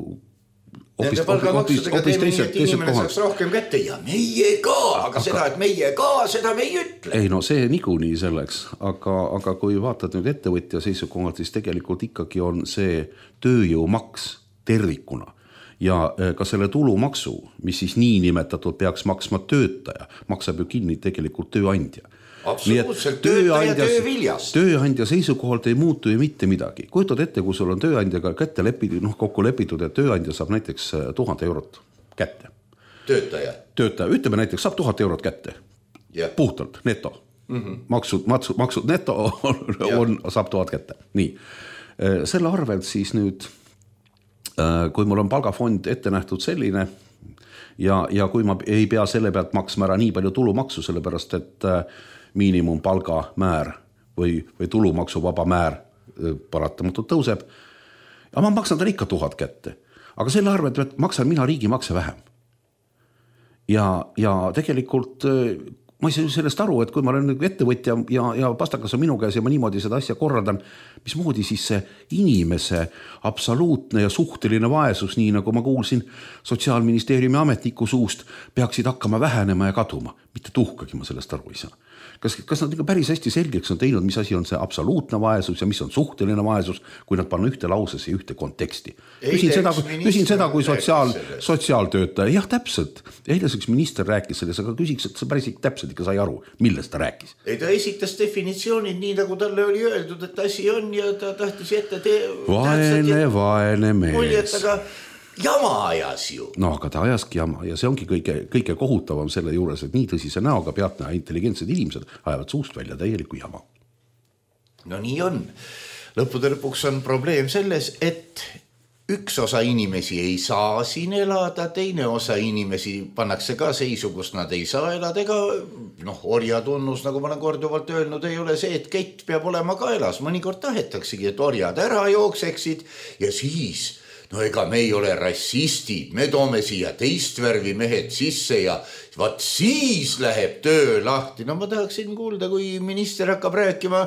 Nende palgamaksudega teeme nii, et inimene saaks rohkem kätte ja meie ka, aga, aga seda, et meie ka, seda me ei ütle. Ei no see niikuinii selleks, aga, aga kui vaatad nüüd ettevõtja seisukohalt, siis tegelikult ikkagi on see tööjõumaks tervikuna. Ja ka selle tulumaksu, mis siis nii nimetatud peaks maksma töötaja, maksab ju kinni tegelikult tööandja. Absoluutselt, töötaja tööviljast. Tööandja seisukohalt ei muutu ju mitte midagi. Kujutad ette, kui sul on tööandjaga kätte lepitud, noh, kokku lepitud, et tööandja saab näiteks tuhat eurot kätte. Töötaja? Töötaja, ütleme näiteks, saab tuhat eurot kätte. Yeah. Puhtalt, neto. Mm-hmm. Maksud, maksud, maksud neto on, yeah. on, saab tuhat kätte. Nii. Selle arvelt siis nüüd, kui mul on palgafond ette nähtud selline ja, ja kui ma ei pea selle pealt maksma ära nii palju tulumaksu, sellepärast, et miinimumpalga määr või, või tulumaksuvaba määr paratamatult tõuseb. Ja ma maksan tal ikka tuhat kätte. Aga selle arvelt maksan mina riigimakse vähem. Ja, ja tegelikult ma ei saa sellest aru, et kui ma olen ettevõtja ja, ja pastakas on minu käes ja ma niimoodi seda asja korraldan, mis moodi siis see inimese absoluutne ja suhteline vaesus, nii nagu ma kuulsin Sotsiaalministeeriumi ametniku suust, peaksid hakkama vähenema ja kaduma. Mitte tuhkagi ma sellest aru ei saa. Kas, kas nad ikka päris hästi selgeks on teinud, mis asi on see absoluutne vaesus ja mis on suhteline vaesus, kui nad panna ühte lausesse ühte konteksti. Küsin seda, küsin seda kui sotsiaal, sotsiaaltöötaja. Jah, täpselt. Eileseks minister rääkis selles, aga küsiks, et sa päris täpselt ikka sai aru, millest ta rääkis. Ei, ta esitas definitsioonid nii, nagu talle oli öeldud, et asi on ja ta tahtis ette te... Vaene, vaene mees. Muljet, aga jama ajas ju. No, aga ta ajaski jama ja see ongi kõige, kõige kohutavam selle juures, et nii tõsise näoga peatne intelligentsed inimesed ajavad suust välja täieliku jama. No nii on. Lõppude lõpuks on probleem selles, et üks osa inimesi ei saa siin elada, teine osa inimesi pannakse ka seisu, kus nad ei saa elada, ega noh, orjatunnus, nagu ma olen korduvalt öelnud, ei ole see, et kett peab olema kaelas. Mõnikord tahetaksegi, et orjad ära jookseksid ja siis no ega me ei ole rassistid, me toome siia teist värvi mehed sisse ja vaat siis läheb töö lahti. No ma tahaksin kuulda, kui minister hakkab rääkima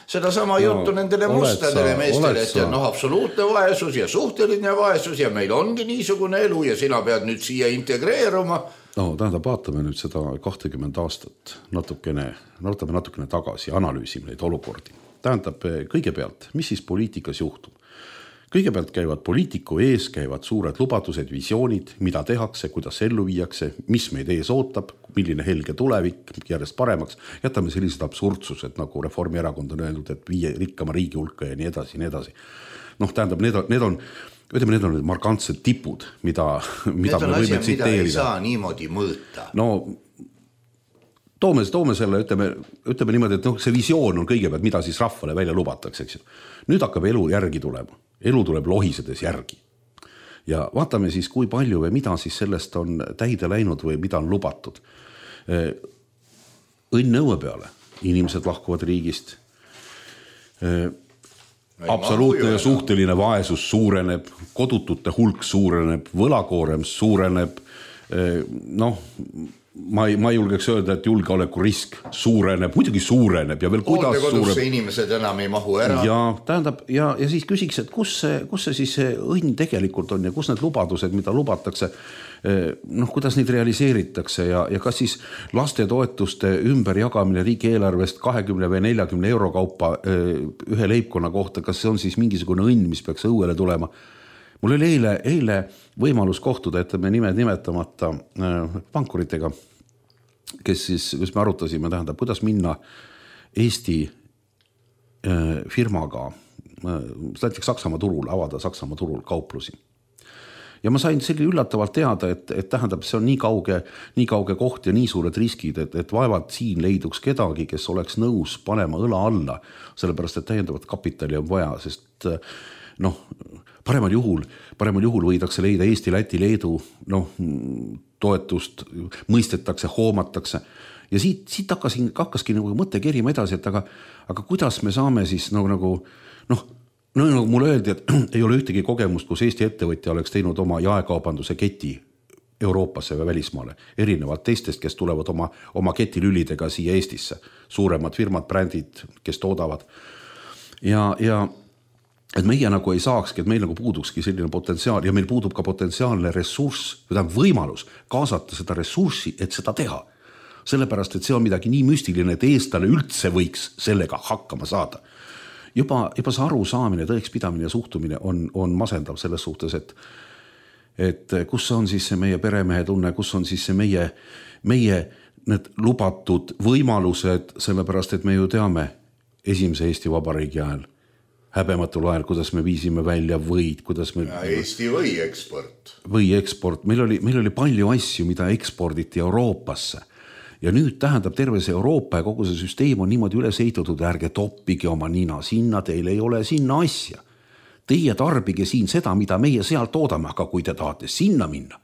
seda sama no, juttu nendele mustadele meestele, et noh, absoluutne vaesus ja suhteline vaesus ja meil ongi niisugune elu ja sina pead nüüd siia integreeruma. No tähendab, vaatame nüüd seda kakskümmend aastat natukene, vaatame natukene tagasi, analüüsime neid olukordi. Tähendab, kõigepealt, mis siis poliitikas juhtub? Kõigepealt käivad poliitiku ees, käivad suured lubadused, visioonid, mida tehakse, kuidas ellu viiakse, mis meid ees ootab, milline helge tulevik järjest paremaks. Jätame sellised absurdsused, nagu Reformierakond on öelnud, et viie rikkama riigi hulka ja nii edasi, nii edasi. Noh, tähendab, need on, need on, ütleme, need on markantsed tipud, mida, mida me võime asja, tsiteerida. Mida ei saa niimoodi mõõta. No, toome, toome selle, ütleme, ütleme niimoodi, et noh, see visioon on kõigepealt, mida siis rahvale välja lubatakse, eks ju. Nüüd hakkab elu järgi tulema. Elu tuleb lohisedes järgi. Ja vaatame siis, kui palju või mida siis sellest on täide läinud või mida on lubatud. Õnn õue peale. Inimesed lahkuvad riigist. Absoluutne ja suhteline vaesus suureneb, kodutute hulk suureneb, võlakoorem suureneb. Noh, ma ei, ma ei julgeks öelda, et julgeoleku risk suureneb, muidugi suureneb ja veel kuidas suureneb. Inimesed enam ei mahu ära. Ja tähendab, ja, ja siis küsiks, et kus see, kus see siis see õnn tegelikult on ja kus need lubadused, mida lubatakse, noh, kuidas neid realiseeritakse ja, ja kas siis lastetoetuste ümberjagamine riigieelarvest kahekümne või neljakümne euro kaupa ühe leibkonna kohta, kas see on siis mingisugune õnn, mis peaks õuele tulema? Mul oli eile, eile võimalus kohtuda, et me nimed nimetamata pankuritega, kes siis, kus me arutasime, tähendab, kuidas minna Eesti firmaga, näiteks Saksamaa turul, avada Saksamaa turul kauplusi. Ja ma sain selline üllatavalt teada, et, et tähendab, see on nii kauge, nii kauge koht ja nii suured riskid, et, et vaevalt siin leiduks kedagi, kes oleks nõus panema õla alla, sellepärast, et täiendavat kapitali on vaja, sest noh, paremal juhul, paremal juhul võidakse leida Eesti, Läti, Leedu, noh, toetust, mõistetakse, hoomatakse. Ja siit, siit hakkasin, hakkaski nagu mõte kerima edasi, et aga, aga kuidas me saame siis nagu, nagu noh, no nagu mulle öeldi, et ei ole ühtegi kogemust, kus Eesti ettevõtja oleks teinud oma jaekaubanduse keti Euroopasse või välismaale, erinevalt teistest, kes tulevad oma, oma ketilülidega siia Eestisse, suuremad firmad, brändid, kes toodavad. Ja, ja et meie nagu ei saakski, et meil nagu puudukski selline potentsiaal ja meil puudub ka potentsiaalne ressurss, või tähendab võimalus kaasata seda ressurssi, et seda teha. Sellepärast, et see on midagi nii müstiline, et eestlane üldse võiks sellega hakkama saada. Juba, juba see arusaamine, tõekspidamine ja suhtumine on, on masendav selles suhtes, et, et kus on siis see meie peremehe tunne, kus on siis see meie, meie need lubatud võimalused, sellepärast, et me ju teame esimese Eesti Vabariigi ajal, häbematul ajal, kuidas me viisime välja võid, kuidas me... Ja Eesti või eksport. Või eksport. Meil oli, meil oli palju asju, mida eksporditi Euroopasse. Ja nüüd tähendab terve see Euroopa ja kogu see süsteem on niimoodi üles ehitatud, ärge toppige oma nina sinna, teil ei ole sinna asja. Teie tarbige siin seda, mida meie seal toodame, aga kui te tahate sinna minna,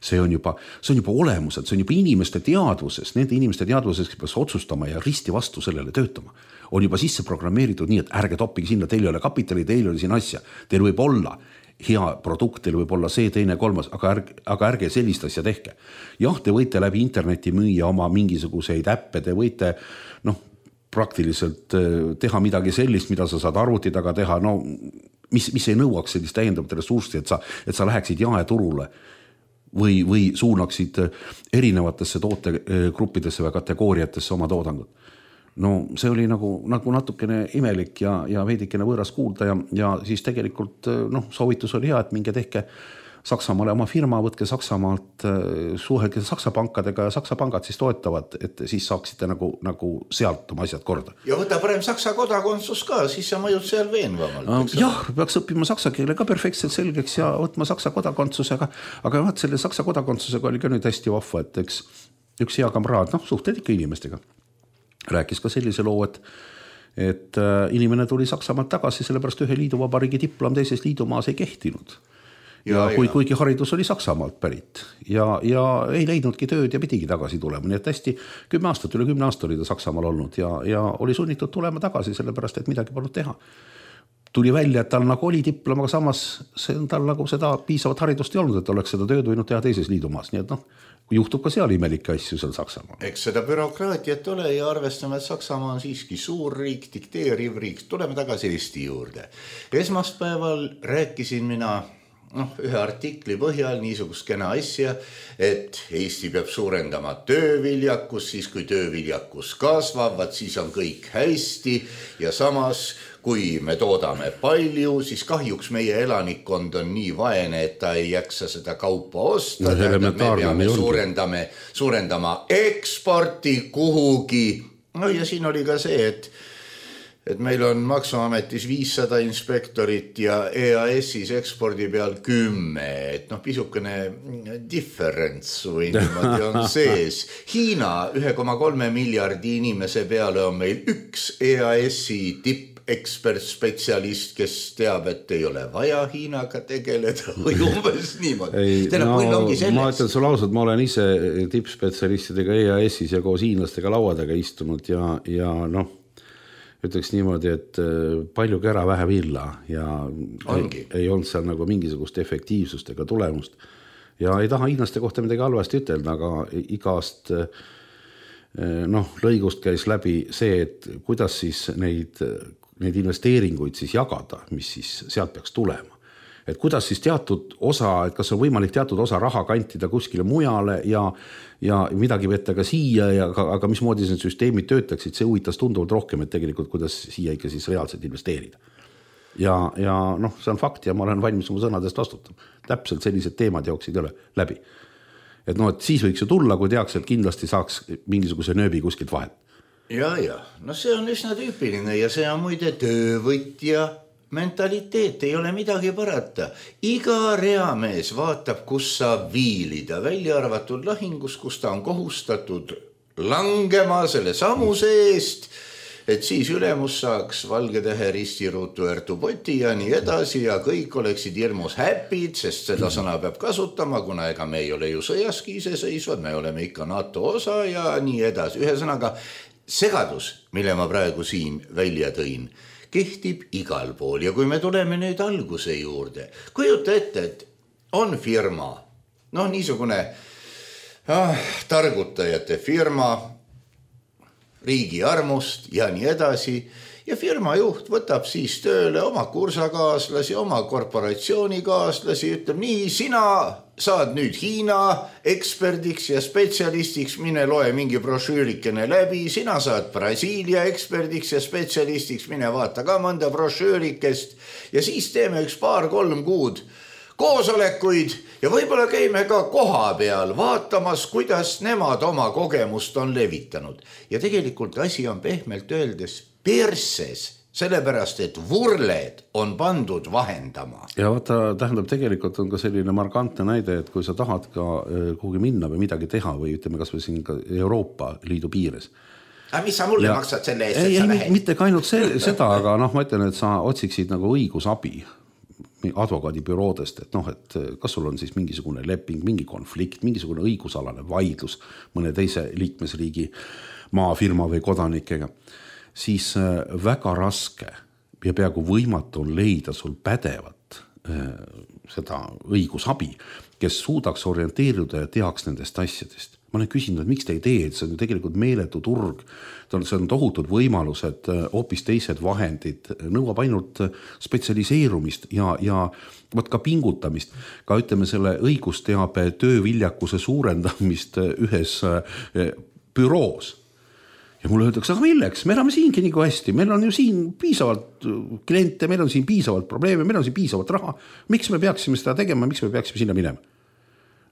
see on juba, see on juba olemused, see on juba inimeste teadvuses, nende inimeste teadvuses, kes peaks otsustama ja risti vastu sellele töötama, on juba sisse programmeeritud nii, et ärge toppige sinna, teil ei ole kapitali, teil ei ole siin asja, teil võib olla hea produkt, teil võib olla see, teine, kolmas, aga ärge, aga ärge sellist asja tehke. Jah, te võite läbi interneti müüa oma mingisuguseid äppe, te võite noh, praktiliselt teha midagi sellist, mida sa saad arvuti taga teha, no mis, mis ei nõuaks sellist täiendavat ressurssi, et sa, et sa läheksid jaeturule või, või suunaksid erinevatesse tootegruppidesse või kategooriatesse oma toodangut. No see oli nagu, nagu natukene imelik ja, ja veidikene võõras kuulda ja, ja siis tegelikult noh, soovitus oli hea, et minge tehke Saksamaale oma firma, võtke Saksamaalt, suhelge Saksa pankadega ja Saksa pangad siis toetavad, et siis saaksite nagu, nagu sealt oma asjad korda. Ja võta parem Saksa kodakondsus ka, siis sa mõjud seal veenvamalt. Jah, peaks õppima saksa keele ka perfektselt selgeks ja võtma Saksa kodakondsusega, aga vaat selle Saksa kodakondsusega oli ka nüüd hästi vahva, et eks üks hea kamraad, noh, suhted ikka inimestega. Rääkis ka sellise loo, et, et inimene tuli Saksamaalt tagasi, sellepärast ühe liiduvabariigi diplom teises liidumaas ei kehtinud. Ja, ja kui, kuigi haridus oli Saksamaalt pärit ja, ja ei leidnudki tööd ja pidigi tagasi tulema. Nii et hästi kümme aastat, üle kümne aasta oli ta Saksamaal olnud ja, ja oli sunnitud tulema tagasi, sellepärast et midagi polnud teha. Tuli välja, et tal nagu oli diplom, aga samas see, tal nagu seda piisavat haridust ei olnud, et oleks seda tööd võinud teha teises liidumaas. Nii et noh, juhtub ka seal imelikke asju seal Saksamaal. Eks seda bürokraatiat ole ja arvestame, et Saksamaa on siiski suur riik, dikteeriv riik. Tuleme tagasi Eesti juurde. Esmaspäeval rääkisin mina noh, ühe artikli põhjal niisugust kena asja, et Eesti peab suurendama tööviljakus, siis kui tööviljakus kasvavad, siis on kõik hästi ja samas kui me toodame palju, siis kahjuks meie elanikkond on nii vaene, et ta ei jaksa seda kaupa osta. No, me peame suurendame, suurendama eksporti kuhugi. No ja siin oli ka see, et et meil on Maksuametis viissada inspektorit ja E A S-is ekspordi peal kümme, et noh, pisukene differents või niimoodi on sees. Hiina ühe koma kolme miljardi inimese peale on meil üks E A S-i tipp ekspert-spetsialist, kes teab, et ei ole vaja Hiinaga tegeleda või umbes niimoodi. Ei, no, ma ütlen sulle ausalt, ma olen ise tippspetsialistidega E A S-is ja koos hiinlastega lauadega istunud ja, ja noh, ütleks niimoodi, et palju kära vähe villa ja ei, ei olnud seal nagu mingisugust efektiivsust ega tulemust. ja ei taha hiinlaste kohta midagi halvasti ütelda, aga igast noh, lõigust käis läbi see, et kuidas siis neid, neid investeeringuid siis jagada, mis siis sealt peaks tulema. Et kuidas siis teatud osa, et kas on võimalik teatud osa raha kantida kuskile mujale ja, ja midagi võtta ka siia, ja, aga, aga mismoodi need süsteemid töötaksid, see huvitas tunduvalt rohkem, et tegelikult kuidas siia ikka siis reaalselt investeerida. Ja, ja noh, see on fakt ja ma olen valmis oma sõnadest vastutama. Täpselt sellised teemad jooksid üle läbi. Et noh, et siis võiks ju tulla, kui teaks, et kindlasti saaks mingisuguse nööbi kuskilt vahelt. Ja, ja, no see on üsna tüüpiline ja see on muide töövõtja mentaliteet, ei ole midagi parata. Iga reamees vaatab, kus saab viilida, välja arvatud lahingus, kus ta on kohustatud langema selle samuse eest, et siis ülemus saaks valge tähe ristiruutu ertupoti ja nii edasi ja kõik oleksid hirmus häpid, sest seda sõna peab kasutama, kuna ega me ei ole ju sõjaski iseseisvad, me oleme ikka NATO osa ja nii edasi. Ühesõnaga, segadus, mille ma praegu siin välja tõin, kehtib igal pool ja kui me tuleme nüüd alguse juurde, kujuta ette, et on firma, noh niisugune ah, targutajate firma, riigi armust ja nii edasi ja firma juht võtab siis tööle oma kursakaaslasi, oma korporatsioonikaaslasi, ütleb nii, sina saad nüüd Hiina eksperdiks ja spetsialistiks, mine loe mingi brošüürikene läbi, sina saad Brasiilia eksperdiks ja spetsialistiks, mine vaata ka mõnda brošüürikest ja siis teeme üks paar-kolm kuud koosolekuid ja võib-olla käime ka koha peal vaatamas, kuidas nemad oma kogemust on levitanud. Ja tegelikult asi on pehmelt öeldes perses, sellepärast, et vurled on pandud vahendama. Ja vaata, tähendab, tegelikult on ka selline markantne näide, et kui sa tahad ka kuhugi minna või midagi teha või ütleme kas või siin ka Euroopa Liidu piires. Aga mis sa mulle ja, maksad selle eest, et sa lähed? Mitte ka ainult see, seda, aga noh, ma ütlen, et sa otsiksid nagu õigusabi advokaadibüroodest, et noh, et kas sul on siis mingisugune leping, mingi konflikt, mingisugune õigusalane vaidlus mõne teise liikmesriigi maafirma või kodanikega, siis väga raske ja peaaegu võimatu on leida sul pädevat seda õigusabi, kes suudaks orienteeruda ja teaks nendest asjadest. Ma olen küsinud, et miks te ei tee, et see on tegelikult meeletu turg, see on tohutud võimalused, hoopis teised vahendid, nõuab ainult spetsialiseerumist ja, ja võt ka pingutamist, ka ütleme selle õigusteabe tööviljakuse suurendamist ühes büroos. Ja mulle öeldakse, aga milleks, me elame siingi nii kui hästi, meil on ju siin piisavalt kliente, meil on siin piisavalt probleeme, meil on siin piisavalt raha, miks me peaksime seda tegema, miks me peaksime sinna minema?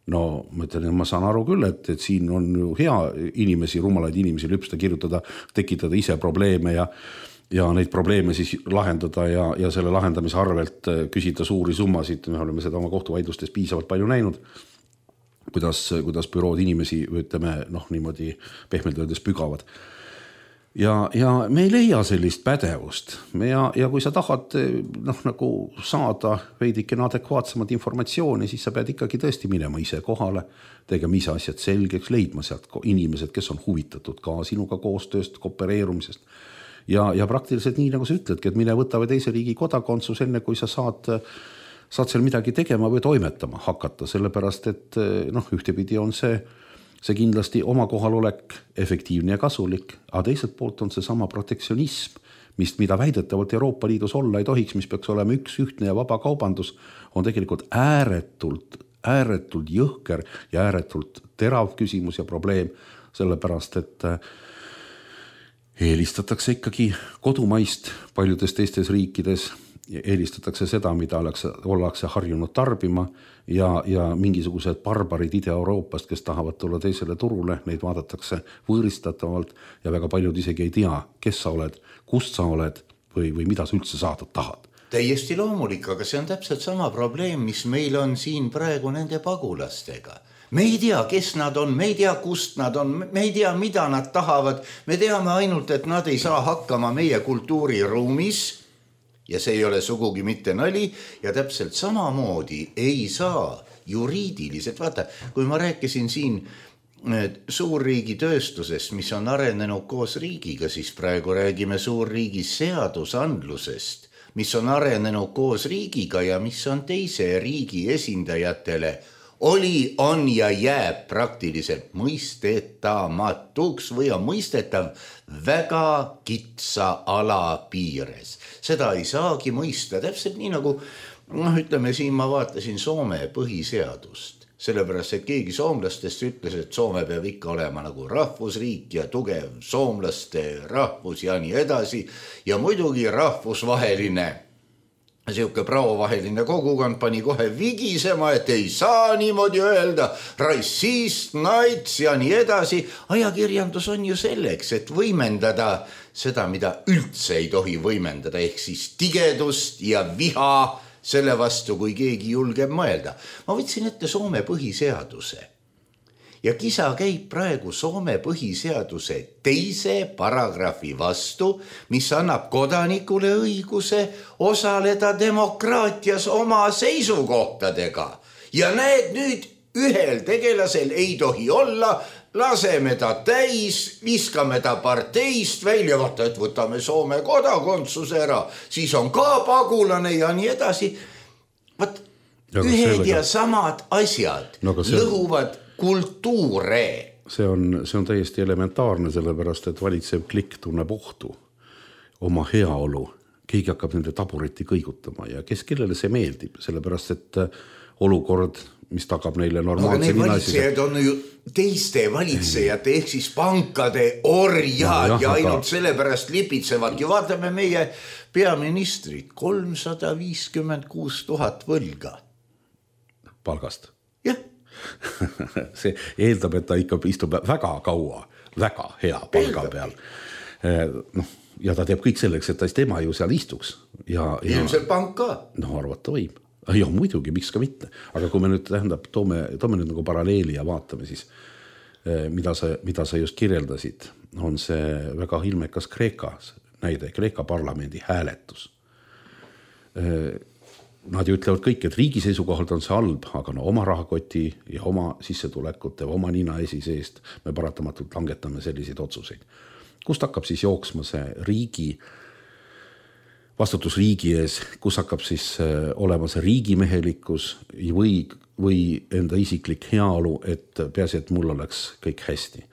No ma ütlen, ma saan aru küll, et, et siin on ju hea inimesi, rumalaid inimesi lüpsta, kirjutada, tekitada ise probleeme ja, ja neid probleeme siis lahendada ja, ja selle lahendamise arvelt küsida suuri summasid. Me oleme seda oma kohtuvaidlustes piisavalt palju näinud, kuidas, kuidas bürood inimesi, ütleme, noh, niimoodi pehmelt öeldes pügavad. Ja, ja me ei leia sellist pädevust ja, ja kui sa tahad noh, nagu saada veidikene adekvaatsemat informatsiooni, siis sa pead ikkagi tõesti minema ise kohale, tegema ise asjad selgeks, leidma sealt inimesed, kes on huvitatud ka sinuga koostööst, koopereerumisest ja, ja praktiliselt nii, nagu sa ütledki, et mine võta või teise riigi kodakondsus enne, kui sa saad, saad seal midagi tegema või toimetama hakata, sellepärast et noh, ühtepidi on see See kindlasti oma kohalolek efektiivne ja kasulik, aga teiselt poolt on see sama protektsionism, mis, mida väidetavalt Euroopa Liidus olla ei tohiks, mis peaks olema üks ühtne ja vaba kaubandus, on tegelikult ääretult, ääretult jõhker ja ääretult terav küsimus ja probleem, sellepärast et eelistatakse ikkagi kodumaist paljudes teistes riikides, eelistatakse seda, mida ollakse harjunud tarbima ja, ja mingisugused barbarid Ida-Euroopast, kes tahavad tulla teisele turule, neid vaadatakse võõristatavalt ja väga paljud isegi ei tea, kes sa oled, kust sa oled või, või mida sa üldse saada tahad. Täiesti loomulik, aga see on täpselt sama probleem, mis meil on siin praegu nende pagulastega. Me ei tea, kes nad on, me ei tea, kust nad on, me ei tea, mida nad tahavad, me teame ainult, et nad ei saa hakkama meie kultuuriruumis ja see ei ole sugugi mitte nali ja täpselt samamoodi ei saa juriidiliselt, vaata, kui ma rääkisin siin suurriigi tööstusest, mis on arenenud koos riigiga, siis praegu räägime suurriigi seadusandlusest, mis on arenenud koos riigiga ja mis on teise riigi esindajatele oli, on ja jääb praktiliselt mõistetamatuks või on mõistetav väga kitsa ala piires. Seda ei saagi mõista, täpselt nii nagu, noh ütleme siin ma vaatasin Soome põhiseadust, sellepärast, et keegi soomlastest ütles, et Soome peab ikka olema nagu rahvusriik ja tugev soomlaste rahvus ja nii edasi ja muidugi rahvusvaheline siuke pravovaheline kogukond pani kohe vigisema, et ei saa niimoodi öelda, rassist, nats ja nii edasi. Ajakirjandus on ju selleks, et võimendada seda, mida üldse ei tohi võimendada, ehk siis tigedust ja viha selle vastu, kui keegi julgeb mõelda. Ma võtsin ette Soome põhiseaduse. Ja kisa käib praegu Soome põhiseaduse teise paragrahvi vastu, mis annab kodanikule õiguse osaleda demokraatias oma seisukohtadega. Ja näed nüüd ühel tegelasel ei tohi olla, laseme ta täis, viskame ta parteist välja, vaata, et võtame Soome kodakondsuse ära, siis on ka pagulane ja nii edasi. Vaat, ühed ja samad asjad no, see... lõhuvad kultuure. See on, see on täiesti elementaarne, sellepärast, et valitsev klikk tunneb ohtu oma heaolu. Keegi hakkab nende tabureti kõigutama ja kes kellele see meeldib, sellepärast, et olukord, mis tagab neile normaalse aga need valitsejad on ju teiste valitsejate ehk siis pankade orjad no, jah, ja ainult aga... sellepärast lipitsevadki. Vaatame meie peaministrit, kolmsada viiskümmend kuus tuhat võlga. Palgast? Jah. See eeldab, et ta ikka istub väga kaua, väga hea palga peal. noh, ja ta teeb kõik selleks, et ta tema ju seal istuks. Ja, ja... ilmselt pank ka. No arvata võib. Ja muidugi, miks ka mitte. Aga kui me nüüd tähendab, toome, toome nüüd nagu paralleeli ja vaatame siis, mida sa, mida sa just kirjeldasid, on see väga ilmekas Kreekas näide, Kreeka parlamendi hääletus. Nad ju ütlevad kõik, et riigi seisukohalt on see halb, aga no oma rahakoti ja oma sissetulekute, oma nina esi seest me paratamatult langetame selliseid otsuseid. Kust hakkab siis jooksma see riigi, vastutus riigi ees, kus hakkab siis olema see riigimehelikkus või, või enda isiklik heaolu, et peasi, et mul oleks kõik hästi.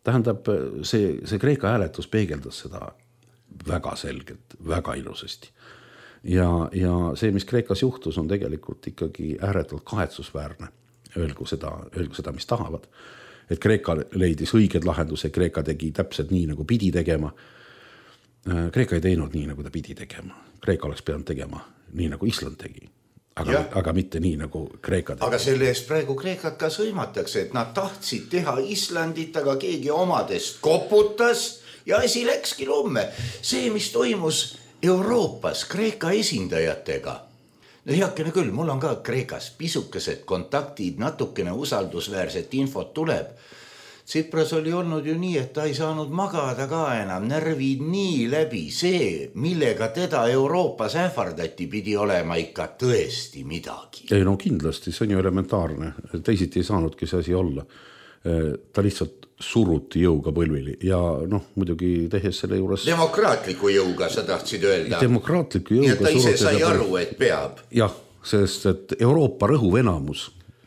Tähendab, see, see Kreeka hääletus peegeldas seda väga selgelt, väga ilusasti. Ja, ja see, mis Kreekas juhtus, on tegelikult ikkagi ääretult kahetsusväärne. Öelgu seda, öelgu seda, mis tahavad. Et Kreeka leidis õiged lahenduse, Kreeka tegi täpselt nii, nagu pidi tegema. Kreeka ei teinud nii, nagu ta pidi tegema. Kreeka oleks pidanud tegema nii, nagu Island tegi. Aga, aga mitte nii, nagu Kreeka tegi. Aga selle eest praegu Kreekat ka sõimatakse, et nad tahtsid teha Islandit, aga keegi omadest koputas ja asi läkski lumme. See, mis toimus Euroopas Kreeka esindajatega. No heakene küll, mul on ka Kreekas pisukesed kontaktid, natukene usaldusväärset infot tuleb. Tsipras oli olnud ju nii, et ta ei saanud magada ka enam, närvid nii läbi. See, millega teda Euroopas ähvardati, pidi olema ikka tõesti midagi. Ei no kindlasti, see on ju elementaarne. Teisiti ei saanudki see asi olla. Ta lihtsalt suruti jõuga põlvili ja noh, muidugi tehes selle juures... Demokraatliku jõuga, sa tahtsid öelda. Demokraatliku jõuga. Nii et ta ise sai aru, et peab. Jah, sest et Euroopa rõhuvenamus,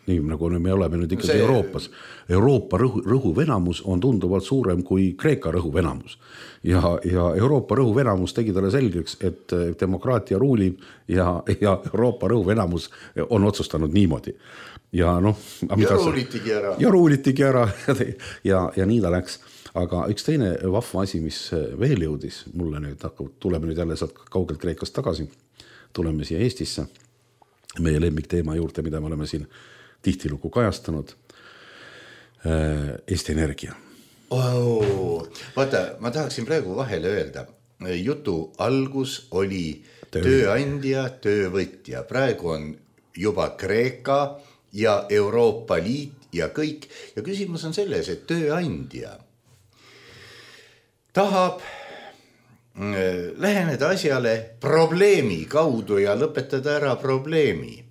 nii nagu me oleme nüüd ikkagi see... Euroopas, Euroopa rõhu, rõhuvenamus on tunduvalt suurem kui Kreeka rõhuvenamus. Ja, ja Euroopa rõhuvenamus tegi talle selgeks, et demokraatia ruulib ja, ja Euroopa rõhuvenamus on otsustanud niimoodi. Ja, noh, ja ruulitigi ära. Ja ruulitigi ära ja, ja nii ta läks. Aga üks teine vahva asi, mis veel jõudis mulle nüüd, tuleme nüüd jälle sealt kaugelt Kreekast tagasi, tuleme siia Eestisse, meie lemmikteema juurde, mida me oleme siin tihtilugu kajastanud, Eesti Energia. Oh, vaata, ma tahaksin praegu vahele öelda, jutu algus oli Töö. tööandja, töövõtja, praegu on juba Kreeka ja Euroopa Liit ja kõik. Ja küsimus on selles, et tööandja tahab läheneda asjale probleemi kaudu ja lõpetada ära probleemi.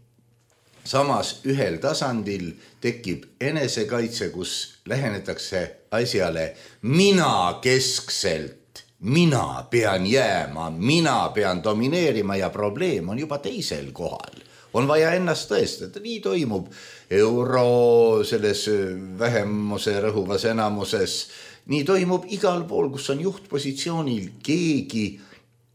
Samas ühel tasandil tekib enesekaitse, kus lähenetakse asjale mina keskselt, mina pean jääma, mina pean domineerima ja probleem on juba teisel kohal. on vaja ennast tõestada, nii toimub euro selles vähemuse rõhuvas enamuses, nii toimub igal pool, kus on juhtpositsioonil keegi,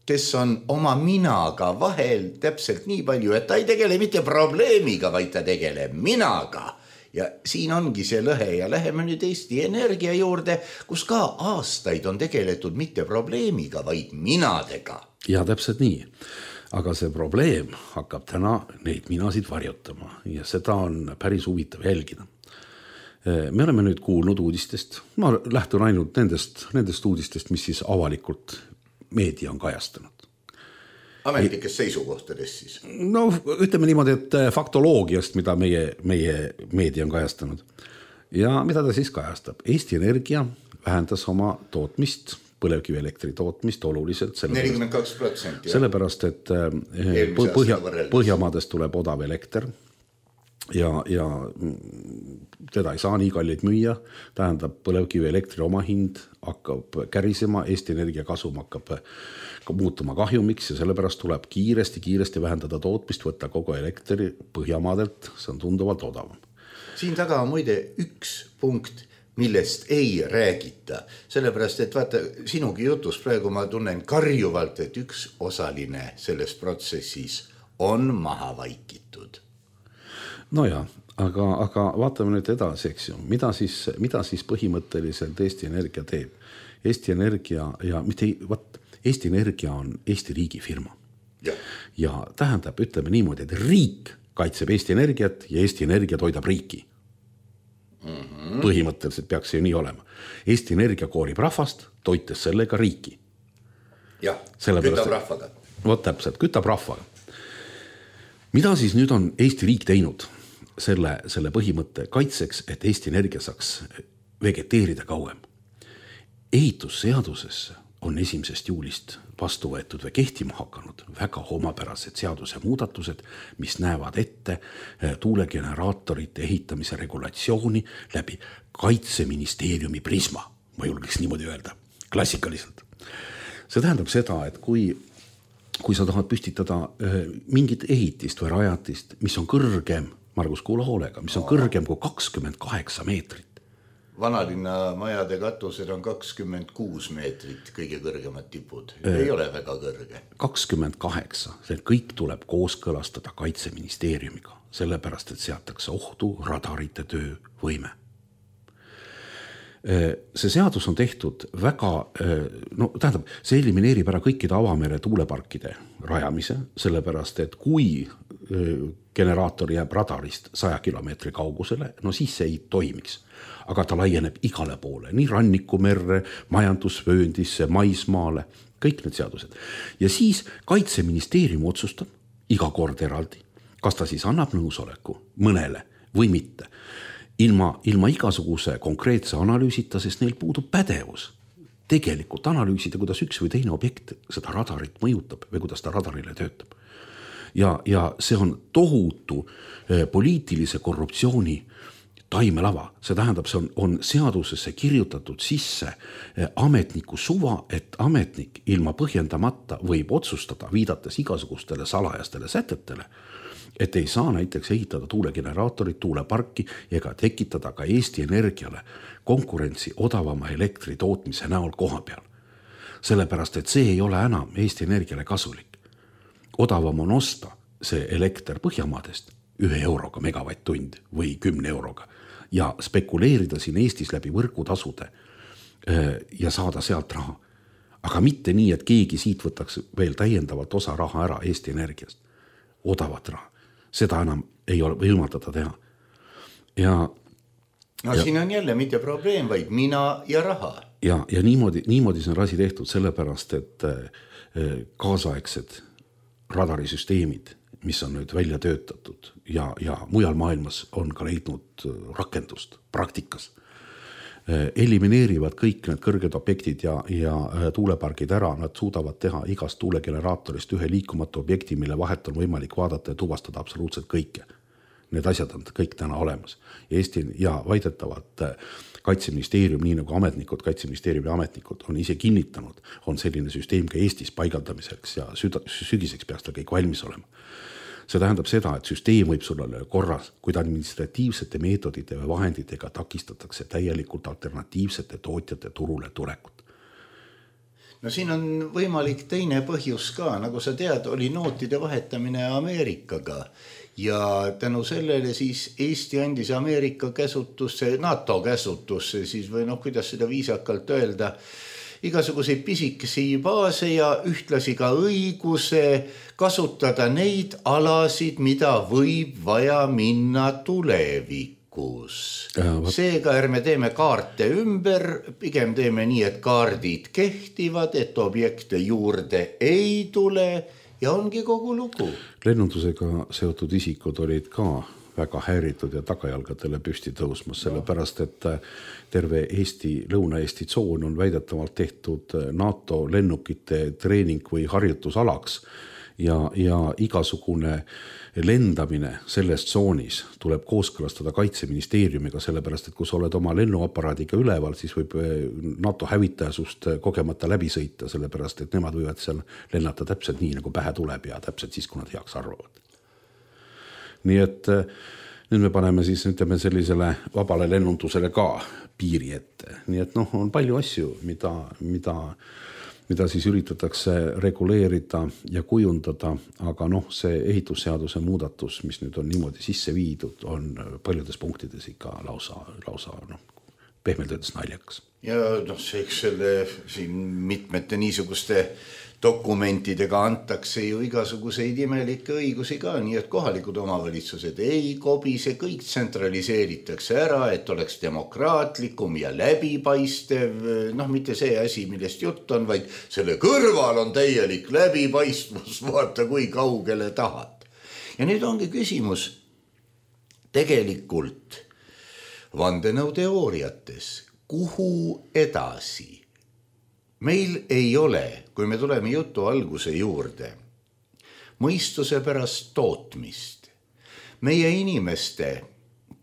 kes on oma minaga vahel täpselt nii palju, et ta ei tegele mitte probleemiga, vaid ta tegeleb minaga. Ja siin ongi see lõhe ja läheme nüüd Eesti Energia juurde, kus ka aastaid on tegeletud mitte probleemiga, vaid minadega. Ja täpselt nii. Aga see probleem hakkab täna neid minasid varjutama ja seda on päris huvitav jälgida. Me oleme nüüd kuulnud uudistest, ma lähtun ainult nendest, nendest uudistest, mis siis avalikult meedia on kajastanud. Ametlikes seisukohtades siis? No ütleme niimoodi, et faktoloogiast, mida meie, meie meedia on kajastanud. Ja mida ta siis kajastab? Eesti Energia vähendas oma tootmist, põlevkivielektri tootmist oluliselt. nelikümmend kaks protsenti. Sellepärast, et põhja, Põhjamaadest tuleb odav elekter ja, ja teda ei saa nii kallid müüa. Tähendab, põlevkivielektri oma hind hakkab kärisema, Eesti Energia kasum hakkab muutuma kahjumiks ja sellepärast tuleb kiiresti, kiiresti vähendada tootmist, võtta kogu elektri Põhjamaadelt, see on tunduvalt odavam. Siin taga on muide üks punkt, millest ei räägita, sellepärast, et vaata, sinugi jutus praegu ma tunnen karjuvalt, et üks osaline selles protsessis on maha vaikitud. No ja, aga, aga vaatame nüüd edasi, eks ju, mida siis, mida siis põhimõtteliselt Eesti Energia teeb. Eesti Energia ja mitte, vaat, Eesti Energia on Eesti riigi firma. Ja. ja tähendab, ütleme niimoodi, et riik kaitseb Eesti Energiat ja Eesti Energia toidab riiki. Mm-hmm. Põhimõtteliselt peaks see nii olema. Eesti Energia koorib rahvast, toites sellega riiki. Jah, kütab rahvaga. Vot täpselt, kütab rahvaga. Mida siis nüüd on Eesti riik teinud selle, selle põhimõtte kaitseks, et Eesti Energia saaks vegeteerida kauem? Ehitusseadusesse on esimesest juulist vastu võetud või kehtima hakanud väga homapärased seaduse muudatused, mis näevad ette tuulegeneraatorite ehitamise regulatsiooni läbi Kaitseministeeriumi prisma, ma julgeks niimoodi öelda, klassikaliselt. See tähendab seda, et kui, kui sa tahad püstitada mingit ehitist või rajatist, mis on kõrgem, Margus kuula hoolega, mis on kõrgem kui kakskümmend kaheksa meetrit, Vanalinna majade katused on kakskümmend kuus meetrit, kõige kõrgemad tipud. Ei ole väga kõrge. kakskümmend kaheksa, see kõik tuleb kooskõlastada Kaitseministeeriumiga, sellepärast, et seatakse ohtu radarite töövõime. See seadus on tehtud väga, no tähendab, see elimineerib ära kõikide avamere tuuleparkide rajamise, sellepärast, et kui generaator jääb radarist saja kilomeetri kaugusele, no siis see ei toimiks. Aga ta laieneb igale poole, nii rannikumerre, majandusvööndisse, maismaale, kõik need seadused. Ja siis Kaitseministeerium otsustab iga kord eraldi, kas ta siis annab nõusoleku mõnele või mitte. Ilma, ilma igasuguse konkreetse analüüsita, sest neil puudub pädevus. Tegelikult analüüsida, kuidas üks või teine objekt seda radarit mõjutab või kuidas ta radarile töötab. Ja, ja see on tohutu poliitilise korruptsiooni taimelava. See tähendab, see on, on seadusesse kirjutatud sisse ametniku suva, et ametnik ilma põhjendamata võib otsustada, viidates igasugustele salajastele sätetele, et ei saa näiteks ehitada tuulegeneraatorit, tuuleparki ega tekitada ka Eesti Energiale konkurentsi odavama elektri tootmise näol koha peal. Sellepärast, et see ei ole enam Eesti Energiale kasulik. Odavam on osta see elekter Põhjamaadest ühe euroga megavatt-tund või kümne euroga ja spekuleerida siin Eestis läbi võrgutasude ja saada sealt raha. Aga mitte nii, et keegi siit võtaks veel täiendavalt osa raha ära Eesti Energiast. Odavat raha. Seda enam ei ole võimaldada teha. Ja, no ja, siin on jälle mitte probleem, vaid mina ja raha. Ja, ja niimoodi, niimoodi see on asi tehtud sellepärast, et kaasaegsed radarisüsteemid, mis on nüüd välja töötatud ja, ja mujal maailmas on ka leidnud rakendust praktikas, elimineerivad kõik need kõrged objektid ja, ja tuulepargid ära, nad suudavad teha igast tuulegeneraatorist ühe liikumatu objekti, mille vahet on võimalik vaadata ja tuvastada absoluutselt kõike. Need asjad on kõik täna olemas. Eesti ja vaidetavad Kaitseministeerium, nii nagu ametnikud, Kaitseministeeriumi ametnikud on ise kinnitanud, on selline süsteem ka Eestis paigaldamiseks ja süda, sügiseks peaks ta kõik valmis olema. see tähendab seda, et süsteem võib sul olla korras, kuid administratiivsete meetodite ja vahenditega takistatakse täielikult alternatiivsete tootjate turule tulekut. No siin on võimalik teine põhjus ka, nagu sa tead, oli nootide vahetamine Ameerikaga ja tänu sellele siis Eesti andis Ameerika käsutusse, NATO käsutusse siis või noh, kuidas seda viisakalt öelda, igasuguseid pisikesi baase ja ühtlasi ka õiguse kasutada neid alasid, mida võib vaja minna tulevikus. Seega ärme teeme kaarte ümber, pigem teeme nii, et kaardid kehtivad, et objekte juurde ei tule ja ongi kogu lugu. Lennundusega seotud isikud olid ka väga häiritud ja tagajalgadele püsti tõusmas, sellepärast, et terve Eesti, Lõuna-Eesti tsoon on väidetavalt tehtud NATO lennukite treening või harjutusalaks ja, ja igasugune lendamine selles tsoonis tuleb kooskõlastada Kaitseministeeriumiga, sellepärast, et kui sa oled oma lennuaparaadiga üleval, siis võib NATO hävitaja sust kogemata läbi sõita, sellepärast, et nemad võivad seal lennata täpselt nii, nagu pähe tuleb ja täpselt siis, kui nad heaks arvavad. Nii et nüüd me paneme siis ütleme sellisele vabale lennundusele ka piiri ette. Nii et noh, on palju asju, mida, mida, mida siis üritatakse reguleerida ja kujundada, aga noh, see ehitusseaduse muudatus, mis nüüd on niimoodi sisse viidud, on paljudes punktides ikka lausa, lausa noh, pehmelt öeldes naljakas. Ja noh, see eks selle siin mitmete niisuguste dokumentidega antakse ju igasuguseid imelikke õigusi ka, nii et kohalikud omavalitsused ei kobise, kõik tsentraliseeritakse ära, et oleks demokraatlikum ja läbipaistev, noh mitte see asi, millest jutt on, vaid selle kõrval on täielik läbipaistvus, vaata kui kaugele tahad. Ja nüüd ongi küsimus tegelikult vandenõuteooriates, kuhu edasi? Meil ei ole, kui me tuleme jutu alguse juurde, mõistuse pärast tootmist. Meie inimeste